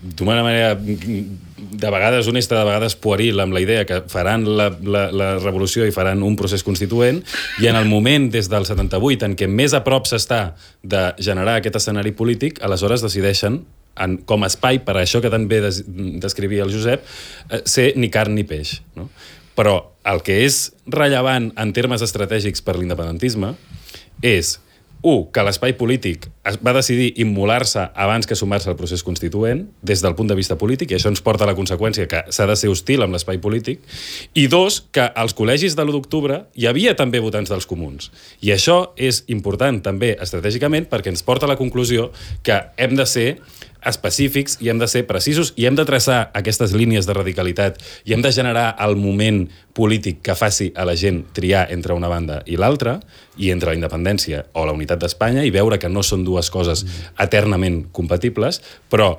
d'una manera de vegades honesta, de vegades pueril, amb la idea que faran la revolució i faran un procés constituent, i en el moment des del 78 en què més a prop s'està de generar aquest escenari polític, aleshores decideixen com a espai, per això que tan bé descrivia el Josep, ser ni carn ni peix. No? Però el que és rellevant en termes estratègics per l'independentisme és, que l'espai polític va decidir immolar-se abans que sumar-se al procés constituent, des del punt de vista polític, i això ens porta a la conseqüència que s'ha de ser hostil amb l'espai polític, i dos, que als col·legis de l'1 d'octubre hi havia també votants dels comuns. I això és important també estratègicament perquè ens porta a la conclusió que hem de ser específics i hem de ser precisos i hem de traçar aquestes línies de radicalitat i hem de generar el moment polític que faci a la gent triar entre una banda i l'altra, i entre la independència o la unitat d'Espanya, i veure que no són dues coses eternament compatibles, però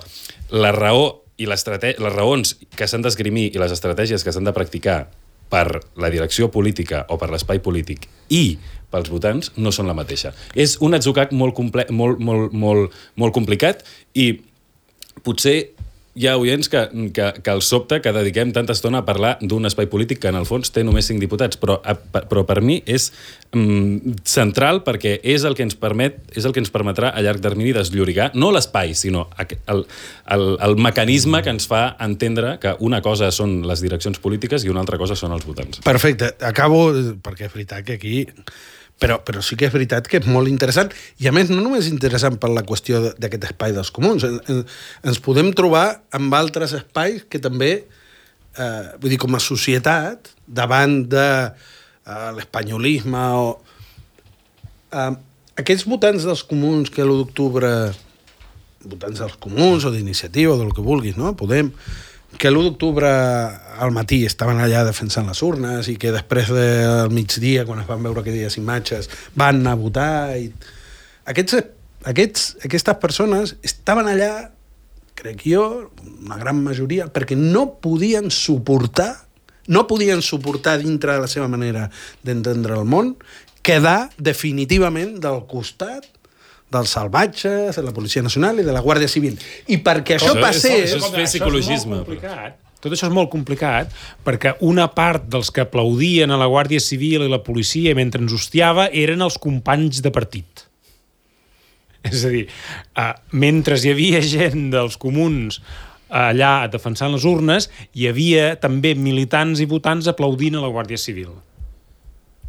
la raó i les raons que s'han d'esgrimir i les estratègies que s'han de practicar per la direcció política o per l'espai polític i pels votants no són la mateixa. És un atzucac molt complicat i potser hi ha oients que els sobta que dediquem tanta estona a parlar d'un espai polític que en el fons té només 5 diputats, però per mi és central perquè és el que ens permetrà a llarg termini desllorigar, no l'espai, sinó el mecanisme que ens fa entendre que una cosa són les direccions polítiques i una altra cosa són els votants. Perfecte, acabo, perquè és veritat que aquí... Però sí que és veritat que és molt interessant, i a més no només interessant per la qüestió d'aquest espai dels comuns, ens podem trobar amb altres espais que també, vull dir, com a societat, davant de l'espanyolisme o... Aquests votants dels comuns que l'1 d'octubre, votants dels comuns o d'iniciativa o del que vulguis, no? Podem... que l'1 d'octubre al matí estaven allà defensant les urnes i que després del migdia, quan es van veure aquelles imatges, van anar a votar. I... Aquestes persones estaven allà, crec jo, una gran majoria, perquè no podien suportar no podien suportar dintre de la seva manera d'entendre el món quedar definitivament del costat dels salvatges, de la Policia Nacional i de la Guàrdia Civil. I perquè això passés... Això és fer psicologisme. Tot això és molt complicat perquè una part dels que aplaudien a la Guàrdia Civil i la policia mentre ens hostiava eren els companys de partit. És a dir, mentre hi havia gent dels comuns allà defensant les urnes, hi havia també militants i votants aplaudint a la Guàrdia Civil.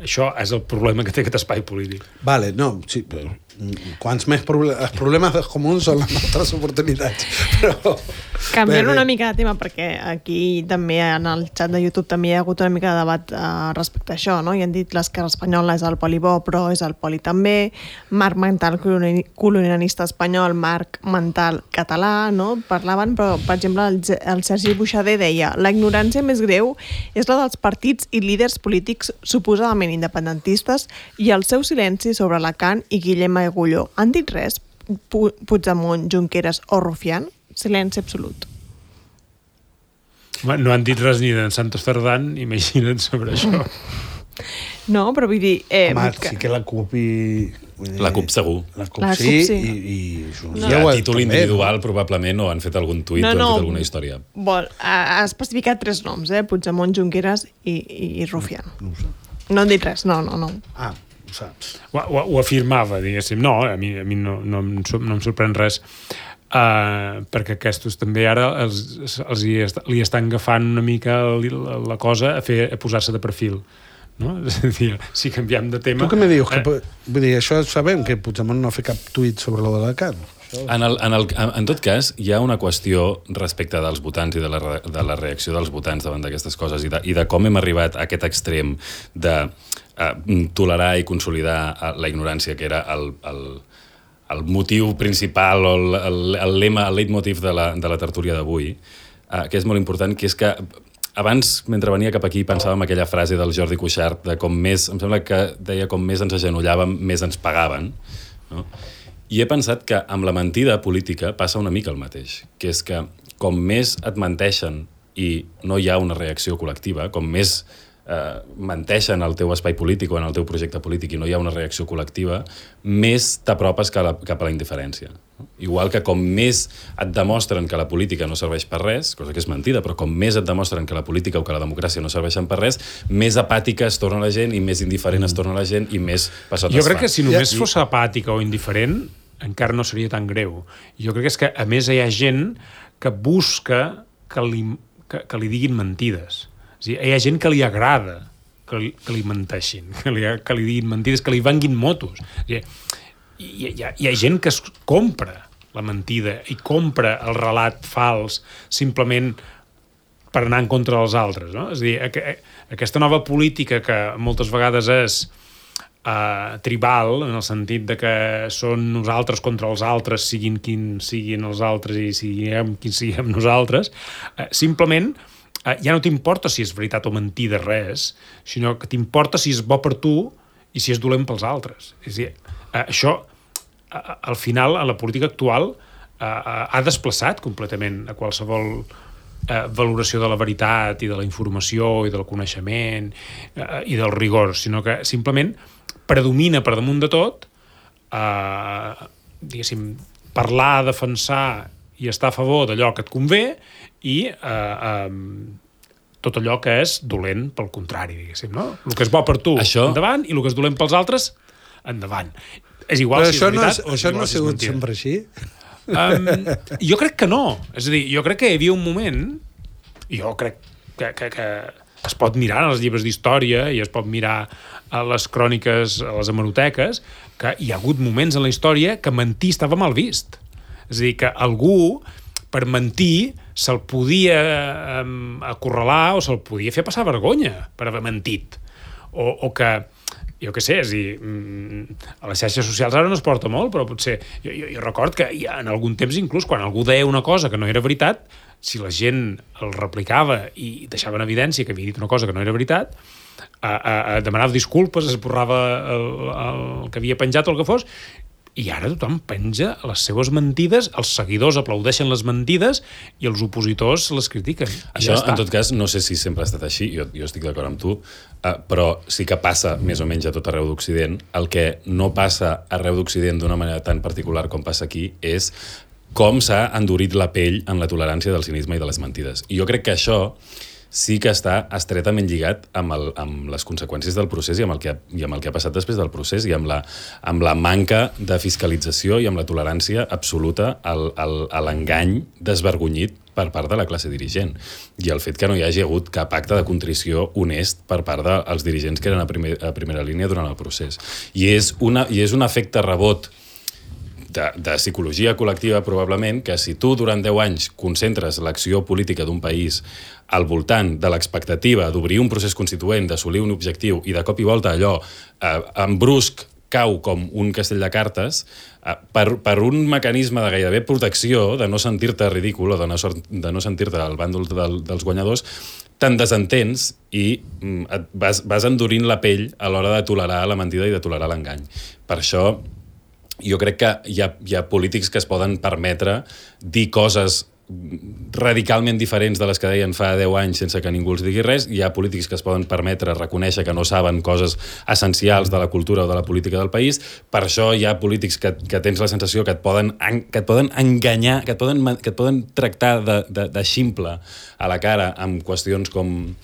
Això és el problema que té aquest espai polític. Vale, no, sí, però quants més els problemes dels comuns són les nostres oportunitats. Però... Canviant una mica de tema, perquè aquí també en el xat de YouTube també hi ha hagut una mica de debat respecte a això, no? I han dit l'esquerra espanyola és el poli bo, però és el poli també, marc mental colonialista espanyol, marc mental català, no? Parlaven, però, per exemple, el Sergi Buixader deia la ignorància més greu és la dels partits i líders polítics suposadament independentistes i el seu silenci sobre Alacant i Guillem Agulló. Han dit res? Puigdemont, Junqueras o Rufián? Silenci absolut. No han dit res ni de Santos Cerdán, imagina't sobre això. No, però vull dir... Home, sí que la CUP i... La CUP segur. La CUP sí, i no. A títol individual probablement o han fet algun tuit o han fet alguna història. Ha especificat 3 noms, Puigdemont, Junqueras i Rufián. No han dit res, no. Ah, ho saps. Ho afirmava, diguéssim. No, a mi no em sorprèn res. Perquè aquests també ara li estan agafant una mica la cosa a posar-se de perfil. No? És a dir, si canviem de tema... Tu què me dius? Vull dir, això sabem que Puigdemont no ha fet cap tuit sobre lo de l'Alacant. En tot cas, hi ha una qüestió respecte dels votants i de la reacció dels votants davant d'aquestes coses i de com hem arribat a aquest extrem de tolerar i consolidar la ignorància, que era el motiu principal o el lema, el leitmotiv de la tertúlia d'avui, que és molt important, que és que abans, mentre venia cap aquí, pensàvem aquella frase del Jordi Cuixart de com més, em sembla que deia com més ens agenollàvem, més ens pagaven, no? I he pensat que amb la mentida política passa una mica el mateix, que és que com més et menteixen i no hi ha una reacció col·lectiva, com més menteixen al teu espai polític o en el teu projecte polític i no hi ha una reacció col·lectiva, més t'apropes cap a la indiferència. Igual que com més et demostren que la política no serveix per res, cosa que és mentida, però com més et demostren que la política o que la democràcia no serveixen per res, més apàtica es torna la gent i més indiferent es torna la gent i més passat es fa. Jo crec que si només fos apàtica o indiferent, encara no seria tan greu. Jo crec que és que, a més, hi ha gent que busca que li diguin mentides. És a dir, hi ha gent que li agrada que li menteixin, que li diguin mentides, que li venguin motos. Hi ha gent que es compra la mentida i compra el relat fals simplement per anar en contra dels altres, no? És a dir, aquesta nova política que moltes vegades és tribal, en el sentit de que són nosaltres contra els altres, siguin quins siguin els altres i siguem quins siguem nosaltres, simplement ja no t'importa si és veritat o mentida res, sinó que t'importa si és bo per tu i si és dolent pels altres. És a dir, això, al final, a la política actual, ha desplaçat completament a qualsevol valoració de la veritat i de la informació i del coneixement i del rigor, sinó que simplement predomina per damunt de tot diguéssim, parlar, defensar i estar a favor d'allò que et convé i tot allò que és dolent pel contrari, diguéssim, no? El que és bo per tu, endavant, i el que és dolent pels altres, endavant. És igual si és veritat o això no ha sigut sempre així? Jo crec que no. És a dir, jo crec que hi havia un moment, i jo crec que es pot mirar en els llibres d'història i es pot mirar a les cròniques, a les hemeroteques, que hi ha hagut moments en la història que mentir estava mal vist. És a dir, que algú, per mentir, se'l podia acorralar o se'l podia fer passar vergonya per haver mentit. O que, jo què sé, és a dir, a les xarxes socials ara no es porta molt, però potser... Jo record que en algun temps, inclús, quan algú deia una cosa que no era veritat, si la gent el replicava i deixava en evidència que havia dit una cosa que no era veritat, demanava disculpes, esborrava el que havia penjat o el que fos, i ara tothom penja les seves mentides, els seguidors aplaudeixen les mentides i els opositors les critiquen. Això, en tot cas, no sé si sempre ha estat així, jo estic d'acord amb tu, però sí que passa més o menys a tot arreu d'Occident. El que no passa arreu d'Occident d'una manera tan particular com passa aquí és com s'ha endurit la pell en la tolerància del cinisme i de les mentides. I jo crec que això sí que està estretament lligat amb les conseqüències del procés i amb el que ha passat després del procés i amb la manca de fiscalització i amb la tolerància absoluta a l'engany desvergonyit per part de la classe dirigent. I el fet que no hi hagi hagut cap acte de contrició honest per part dels dirigents que eren a primera línia durant el procés. I és un efecte rebot de psicologia col·lectiva, probablement, que si tu durant 10 anys concentres l'acció política d'un país al voltant de l'expectativa d'obrir un procés constituent, d'assolir un objectiu, i de cop i volta allò en brusc cau com un castell de cartes, per un mecanisme de gairebé protecció, de no sentir-te ridícul o de no sentir-te al bàndol dels guanyadors, te'n desentens i vas endurint la pell a l'hora de tolerar la mentida i de tolerar l'engany. Per això jo crec que hi ha polítics que es poden permetre dir coses radicalment diferents de les que deien fa 10 anys sense que ningú els digui res. Hi ha polítics que es poden permetre reconèixer que no saben coses essencials de la cultura o de la política del país. Per això hi ha polítics que tens la sensació que et poden enganyar, que et poden tractar de ximple a la cara amb qüestions com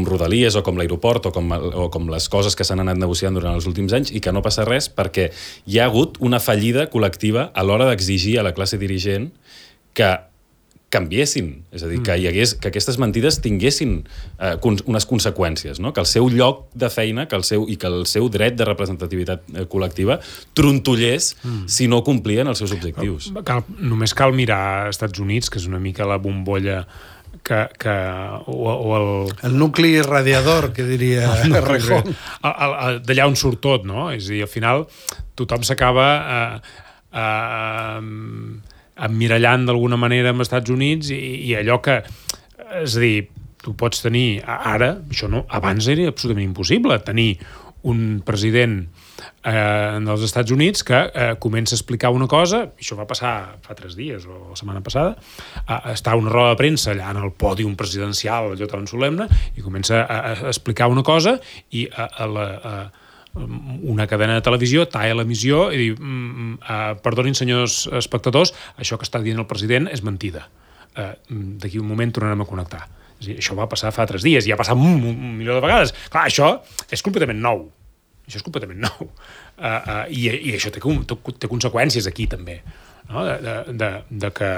Rodalies o com l'aeroport o com les coses que s'han anat negociant durant els últims anys, i que no passa res perquè hi ha hagut una fallida col·lectiva a l'hora d'exigir a la classe dirigent que canviessin, és a dir, que aquestes mentides tinguessin unes conseqüències, no? Que el seu lloc de feina que el seu dret de representativitat col·lectiva trontollés si no complien els seus objectius. Només cal mirar als Estats Units, que és una mica la bombolla el nucli radiador, que diria Rejón. D'allà on surt tot, no? És a dir, al final tothom s'acaba emmirallant d'alguna manera amb els Estats Units i allò que... És a dir, tu pots tenir ara, això no, abans era absolutament impossible, tenir un president dels Estats Units que comença a explicar una cosa, això va passar fa 3 dies o la setmana passada, està a una roda de premsa allà en el pòdium presidencial, allò tan solemne, i comença a explicar una cosa i una cadena de televisió talla l'emissió i diu perdonin senyors espectadors, això que està dient el president és mentida, d'aquí un moment tornarem a connectar. És a dir, això va passar fa 3 dies i ha passat un milió de vegades. Clar, això és completament nou. I això té conseqüències aquí també, no? De que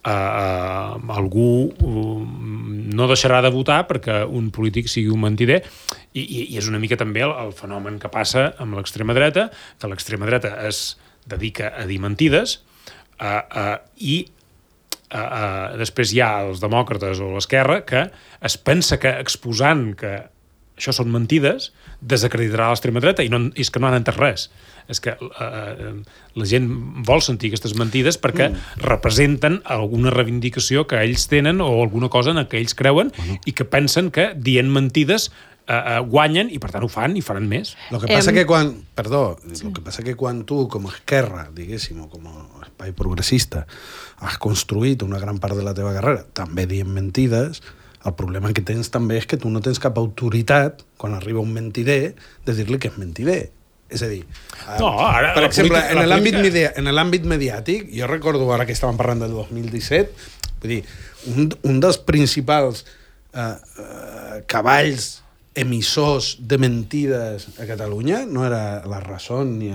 algú no deixarà de votar perquè un polític sigui un mentider, i és una mica també el fenomen que passa amb l'extrema dreta, que l'extrema dreta es dedica a dir mentides i després hi ha els demòcrates o l'esquerra que es pensa que exposant que això són mentides desacreditarà l'extrema dreta, i és que no han entès res. És que la gent vol sentir aquestes mentides perquè representen alguna reivindicació que ells tenen o alguna cosa en què ells creuen i que pensen que dient mentides guanyen i per tant ho fan i faran més. Lo que passa que quan tu com a esquerra, diguéssim, o com a espai progressista has construït una gran part de la teva carrera també dient mentides, el problema que tens també és que tu no tens cap autoritat quan arriba un mentider de dir-li que és mentider. És a dir, per exemple, en l'àmbit mediàtic, jo recordo ara que estàvem parlant del 2017, vull dir, un dels principals cavalls emissors de mentides a Catalunya no era La Razón ni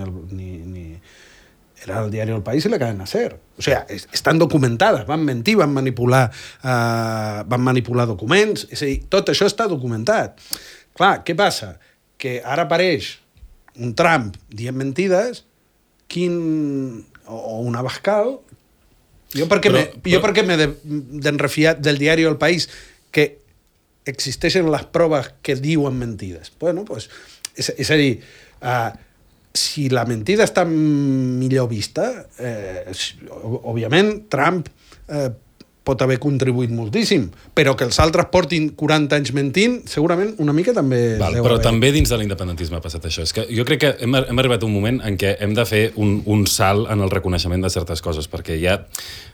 era el diari El País i la cadena SER. O sigui, estan documentades, van mentir, van manipular documents, és a dir, tot això està documentat. Clar, què passa? Que ara apareix un Trump dient mentides, o un Abascal. Jo per què m'he d'enrefiar del diari El País que existeixen les proves que diuen mentides? Bueno, pues, és a dir, si la mentida està millor vista, òbviament Trump pot haver contribuït moltíssim, però que els altres portin 40 anys mentint, segurament una mica també... Però també dins de l'independentisme ha passat això. És que jo crec que hem arribat a un moment en què hem de fer un salt en el reconeixement de certes coses, perquè ja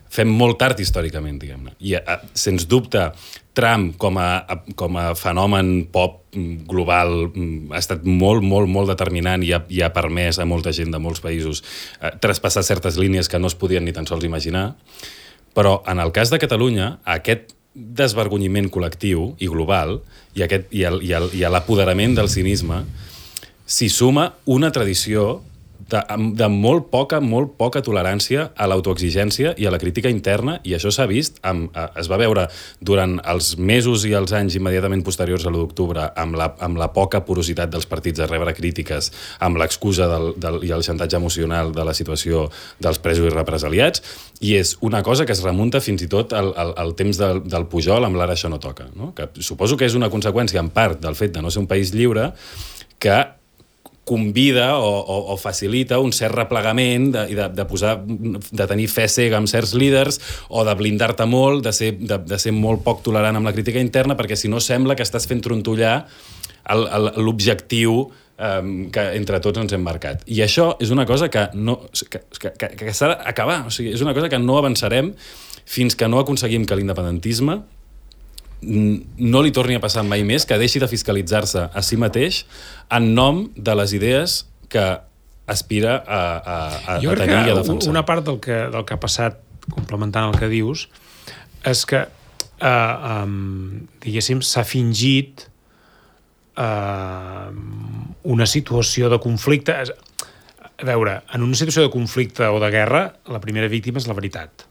fem molt tard històricament, diguem-ne. I, sens dubte, Trump com a fenomen pop global ha estat molt, molt, molt determinant i ha permès a molta gent de molts països traspassar certes línies que no es podien ni tan sols imaginar. Però en el cas de Catalunya, aquest desvergonyiment col·lectiu i global i a l'apoderament del cinisme s'hi suma una tradició de molt poca tolerància a l'autoexigència i a la crítica interna, i això s'ha vist, es va veure durant els mesos i els anys immediatament posteriors a l'1 d'octubre amb la poca porositat dels partits a rebre crítiques, amb l'excusa i el xantatge emocional de la situació dels presos i represaliats, i és una cosa que es remunta fins i tot al temps del Pujol amb l'Ara això no toca, no? Que suposo que és una conseqüència en part del fet de no ser un país lliure que convida o facilita un cert replegament de tenir fe cega amb certs líders o de blindar-te molt, de ser molt poc tolerant amb la crítica interna, perquè si no sembla que estàs fent trontollar l'objectiu que entre tots ens hem marcat. I això és una cosa que s'ha d'acabar. O sigui, és una cosa que no avançarem fins que no aconseguim que l'independentisme no li torni a passar mai més, que deixi de fiscalitzar-se a si mateix en nom de les idees que aspira a tenir i a defensar. Una part del que ha passat, complementant el que dius, és que diguéssim, s'ha fingit una situació de conflicte. A veure, en una situació de conflicte o de guerra, la primera víctima és la veritat.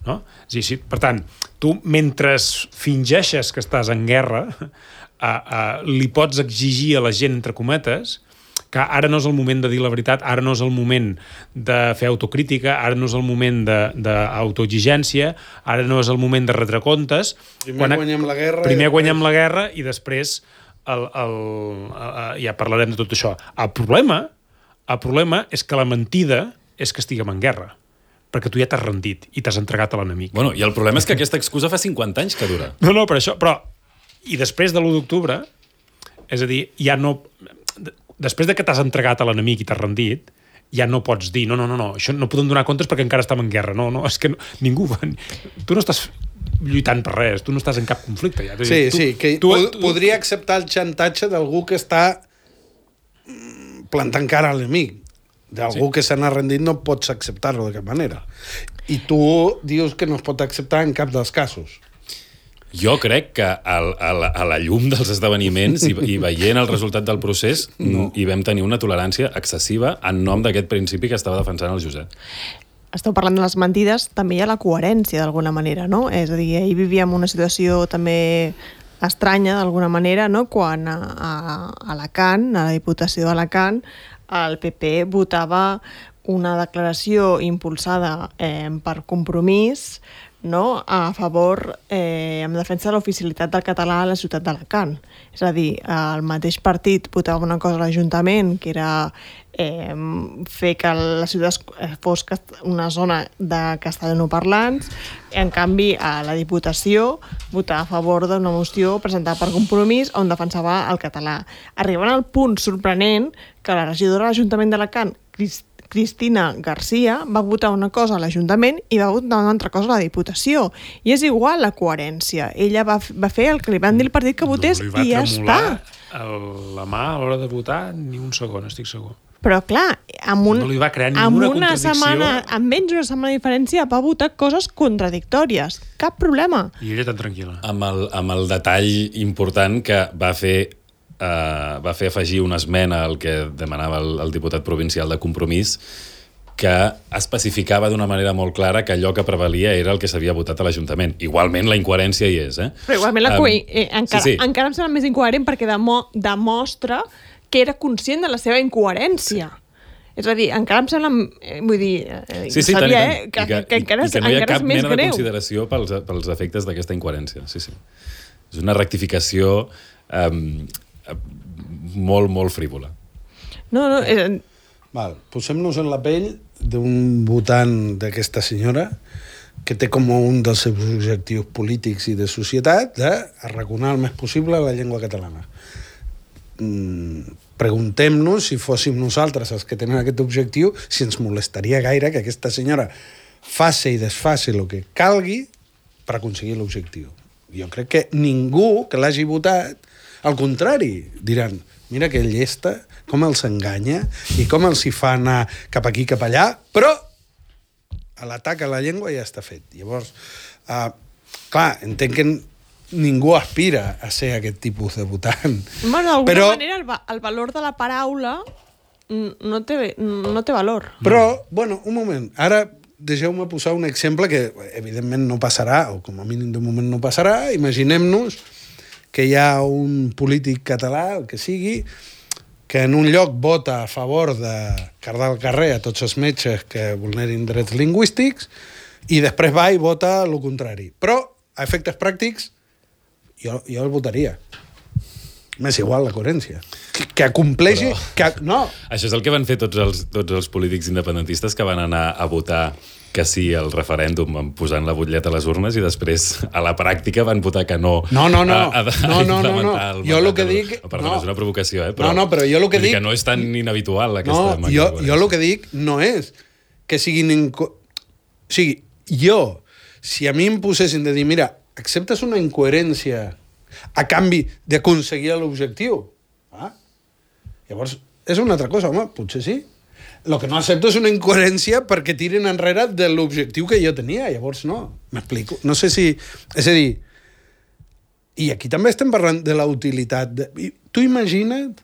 No? Sí, per tant, tu, mentre fingeixes que estàs en guerra, li pots exigir a la gent, entre cometes, que ara no és el moment de dir la veritat, ara no és el moment de fer autocrítica, ara no és el moment d'autoexigència, ara no és el moment de retre comptes. Primer guanyem la guerra. Primer guanyem la guerra i després ja parlarem de tot això. El problema és que la mentida és que estiguem en guerra, perquè tu ja t'has rendit i t'has entregat a l'enemic. Bueno, i el problema és que aquesta excusa fa 50 anys que dura. No, per això, però... I després de l'1 d'octubre, és a dir, ja no... Després de que t'has entregat a l'enemic i t'has rendit, ja no pots dir, no, això no podem donar comptes perquè encara estem en guerra. No, és que ningú... Tu no estàs lluitant per res, tu no estàs en cap conflicte. Ja. Sí, que podria acceptar el xantatge d'algú que està plantant cara a l'enemic. D'algú que se n'ha rendit no pots acceptar-lo de cap manera. I tu dius que no es pot acceptar en cap dels casos. Jo crec que a la llum dels esdeveniments i veient el resultat del procés hi vam tenir una tolerància excessiva en nom d'aquest principi que estava defensant el Josep. Esteu parlant de les mentides, també hi ha la coherència d'alguna manera, no? És a dir, ahir vivíem una situació també estranya d'alguna manera, no? Quan a Alacant, a la Diputació d'Alacant, el PP votava una declaració impulsada per Compromís, no? A favor, en defensa de l'oficialitat del català a la ciutat d'Alacant. És a dir, el mateix partit votava una cosa a l'Ajuntament, que era fer que la ciutat fos una zona de castellanoparlants. En canvi, a la Diputació votava a favor d'una moció presentada per Compromís on defensava el català. Arribant al punt sorprenent que la regidora de l'Ajuntament d'Alacant, Cristina Garcia, va votar una cosa a l'Ajuntament i va votar una altra cosa a la Diputació. I és igual la coherència. Ella va fer el que li van dir el partit que votés i ja està. No li va tremolar la mà a l'hora de votar ni un segon, estic segur. Però clar, no li va crear ninguna contradicció. Amb menys d'una setmana de diferència va votar coses contradictòries. Cap problema. I ella tan tranquil·la. Amb el detall important que va fer afegir una esmena al que demanava el diputat provincial de Compromís, que especificava d'una manera molt clara que allò que prevalia era el que s'havia votat a l'Ajuntament. Igualment la incoherència hi és. Però igualment encara em sembla més incoherent perquè demostra que era conscient de la seva incoherència. És a dir, encara em sembla... Vull dir, sabia, que encara és més greu. I que no hi ha cap mena de consideració pels efectes d'aquesta incoherència. Sí. És una rectificació molt, molt frívola. No. Val, posem-nos en la pell d'un votant d'aquesta senyora que té com un dels seus objectius polítics i de societat d'arraconar el més possible la llengua catalana. Preguntem-nos, si fóssim nosaltres els que tenen aquest objectiu, si ens molestaria gaire que aquesta senyora faci i desfaci el que calgui per aconseguir l'objectiu. Jo crec que ningú que l'hagi votat, al contrari, diran, mira que llesta, com els enganya i com els hi fa anar cap aquí, cap allà, però l'atac a la llengua ja està fet. Llavors, clar, entenc que ningú aspira a ser aquest tipus de votant. Bueno, d'alguna manera el valor de la paraula no té valor. Però, bueno, un moment, ara deixeu-me posar un exemple que evidentment no passarà, o com a mínim de moment no passarà. Imaginem-nos que hi ha un polític català, el que sigui, que en un lloc vota a favor de cardar al carrer a tots els metges que vulnerin drets lingüístics i després va i vota el contrari. Però, a efectes pràctics, jo el votaria. M'és igual la coherència. Que acompleixi... No. Això és el que van fer tots els polítics independentistes que van anar a votar que sí al referèndum posant la butlleta a les urnes i després a la pràctica van votar que no. No. Jo el que dic... Perdó, és una provocació, Però jo el que dic... Que no és tan inhabitual aquesta màquina. Jo el que dic no és que siguin... O sigui, jo, si a mi em posessin de dir, mira, acceptes una incoherència a canvi d'aconseguir l'objectiu? Llavors, és una altra cosa, home, potser sí. El que no accepto és una incoherència perquè tiren enrere de l'objectiu que jo tenia. Llavors, no. M'explico. No sé si... És a dir, i aquí també estem parlant de la utilitat. Tu imagina't,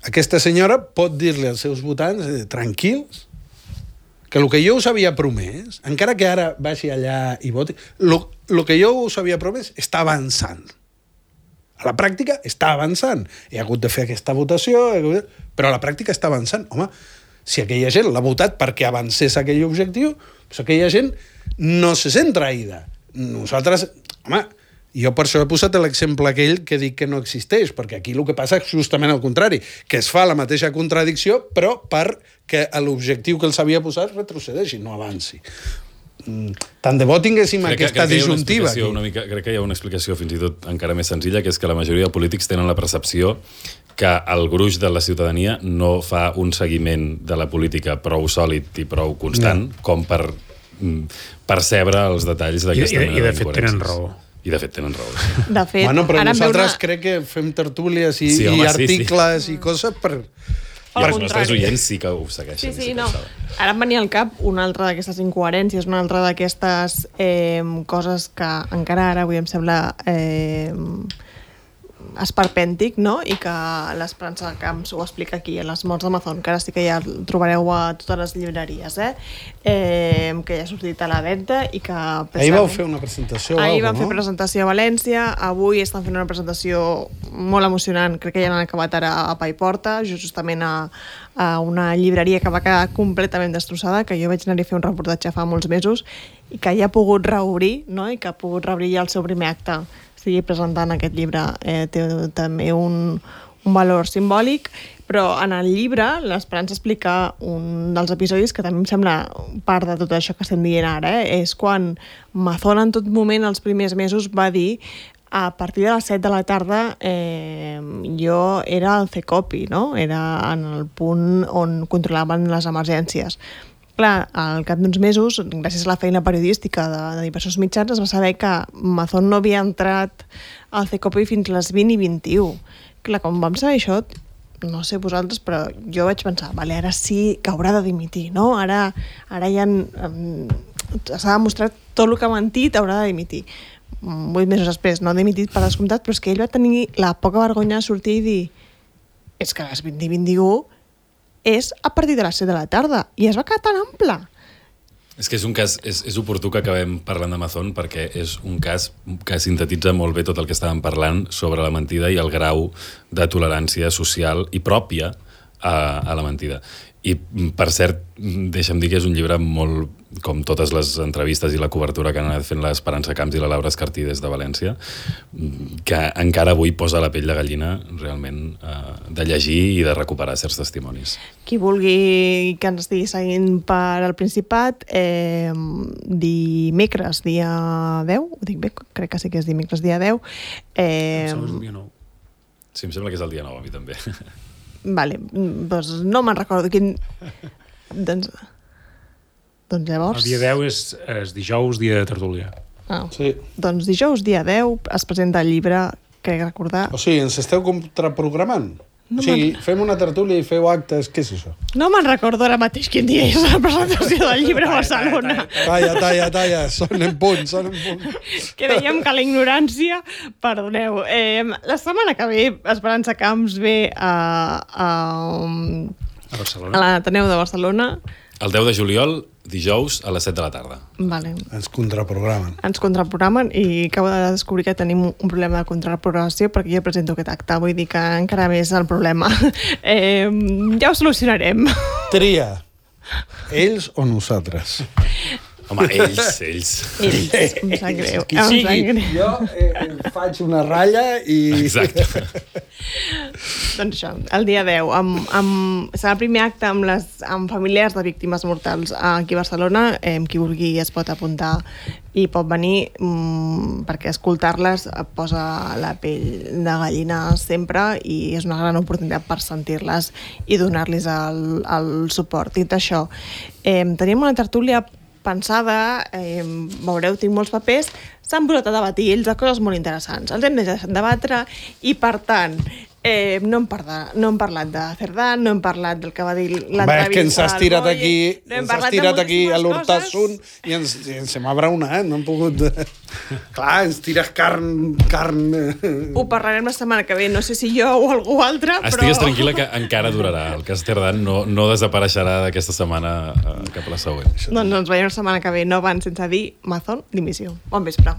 aquesta senyora pot dir-li als seus votants, tranquils, que el que jo us havia promès, encara que ara vagi allà i voti, el que jo us havia promès està avançant. A la pràctica està avançant. He hagut de fer aquesta votació, però a la pràctica està avançant. Home, si aquella gent l'ha votat perquè avancés aquell objectiu, doncs aquella gent no se sent traïda. Nosaltres, home, jo per això he posat l'exemple aquell que dic que no existeix, perquè aquí el que passa és justament el contrari, que es fa la mateixa contradicció, però perquè l'objectiu que els havia posat retrocedeixi, no avanci. Tant de bo tinguéssim aquesta disjuntiva. Crec que hi ha una explicació fins i tot encara més senzilla, que és que la majoria de polítics tenen la percepció que el gruix de la ciutadania no fa un seguiment de la política prou sòlid i prou constant com per percebre els detalls d'aquesta mena de fet tenen raó. I de fet tenen raó. De fet, bueno, però nosaltres crec que fem tertúlies i articles i coses per... Els nostres oients sí que ho segueixen. Sí, no. Ara em venia al cap una altra d'aquestes incoherències, una altra d'aquestes coses que encara ara avui em sembla esperpèntic, no? I que l'Esperança Camps ho explica aquí, a les morts d'Amazon, que ara sí que ja el trobareu a totes les llibreries, que ja ha sortit a la venda i que... Ahir vau fer una presentació. Ahir vam fer presentació a València, avui estan fent una presentació molt emocionant, crec que ja l'han acabat ara a Paiporta, justament a una llibreria que va quedar completament destrossada, que jo vaig anar-hi a fer un reportatge fa molts mesos i que ja ha pogut reobrir, no? I que ha pogut reobrir ja el seu primer acte. Estigui presentant aquest llibre té també un valor simbòlic, però en el llibre l'Esperança explica un dels episodis que també em sembla part de tot això que estem dient ara, és quan Mazón en tot moment, els primers mesos, va dir a partir de les 7 de la tarda jo era al CECOPI, no? Era en el punt on controlaven les emergències. Clar, al cap d'uns mesos, gràcies a la feina periodística de diversos mitjans, es va saber que Mazón no havia entrat al CECOPI fins a les 20 i 21. Clar, quan vam saber això, no sé vosaltres, però jo vaig pensar, vale, ara sí que haurà de dimitir, no? Ara ja s'ha demostrat tot el que ha mentit, haurà de dimitir. 8 mesos després, no ha dimitit per descomptat, però és que ell va tenir la poca vergonya de sortir i dir és que a les 20 i 21 és a partir de les 7 de la tarda, i es va quedar tan ample. És que és un cas, és oportú que acabem parlant d'Amazon perquè és un cas que sintetitza molt bé tot el que estàvem parlant sobre la mentida i el grau de tolerància social i pròpia a la mentida. I, per cert, deixa'm dir que és un llibre molt, com totes les entrevistes i la cobertura que han anat fent l'Esperança Camps i la Laura Escartí des de València, que encara avui posa la pell de gallina realment de llegir i de recuperar certs testimonis. Qui vulgui que ens estigui seguint per al Principat, dimecres, dia 10, ho dic bé, crec que sí que és dimecres, dia 10. Sí, em sembla que és el dia 9, a mi també. Vale, doncs no me'n recordo quin... doncs llavors... El dia 10 és dijous, dia de tertúlia. Sí. Doncs dijous, dia 10, es presenta el llibre, crec recordar... O sigui, ens esteu contraprogramant? O sigui, fem una tertúlia i feu actes, què és això? No me'n recordo ara mateix quin dia és la presentació del llibre a Barcelona. Talla, són en punt. Que dèiem que la ignorància, perdoneu. La setmana que ve, Esperança Camps ve a Barcelona. a l'Ateneu de Barcelona. El 10 de juliol, dijous, a les 7 de la tarda. Vale. Ens contraprogramen. Ens contraprogramen i acabo de descobrir que tenim un problema de contraprogramació perquè jo presento aquest acte, vull dir que encara més el problema. Ja ho solucionarem. Tria. Ells o nosaltres? Home, ells. Em sap greu. Qui sigui, jo faig una ratlla i... Exacte. Doncs això, el dia 10 serà el primer acte amb familiars de víctimes mortals aquí a Barcelona. Qui vulgui es pot apuntar i pot venir perquè escoltar-les posa la pell de gallina sempre i és una gran oportunitat per sentir-les i donar-los el suport. Dit això, tenim una tertúlia pensada, veureu, tinc molts papers, s'han posat a debatir ells de coses molt interessants. Els hem de debatre i, per tant, no hem parlat de Cerdà, no hem parlat del que va dir l'entrevista. És que ens has tirat aquí, a l'Hortassun i ens hem abraonat, no hem pogut... Clar, ens tires carn... Ho parlarem la setmana que ve, no sé si jo o algú altre, però... Estigues tranquil·la que encara durarà. El cas Cerdà no desapareixerà d'aquesta setmana cap a la següent. Doncs ens veiem la setmana que ve, no abans sense dir Mazón, dimissió. Bon vespre.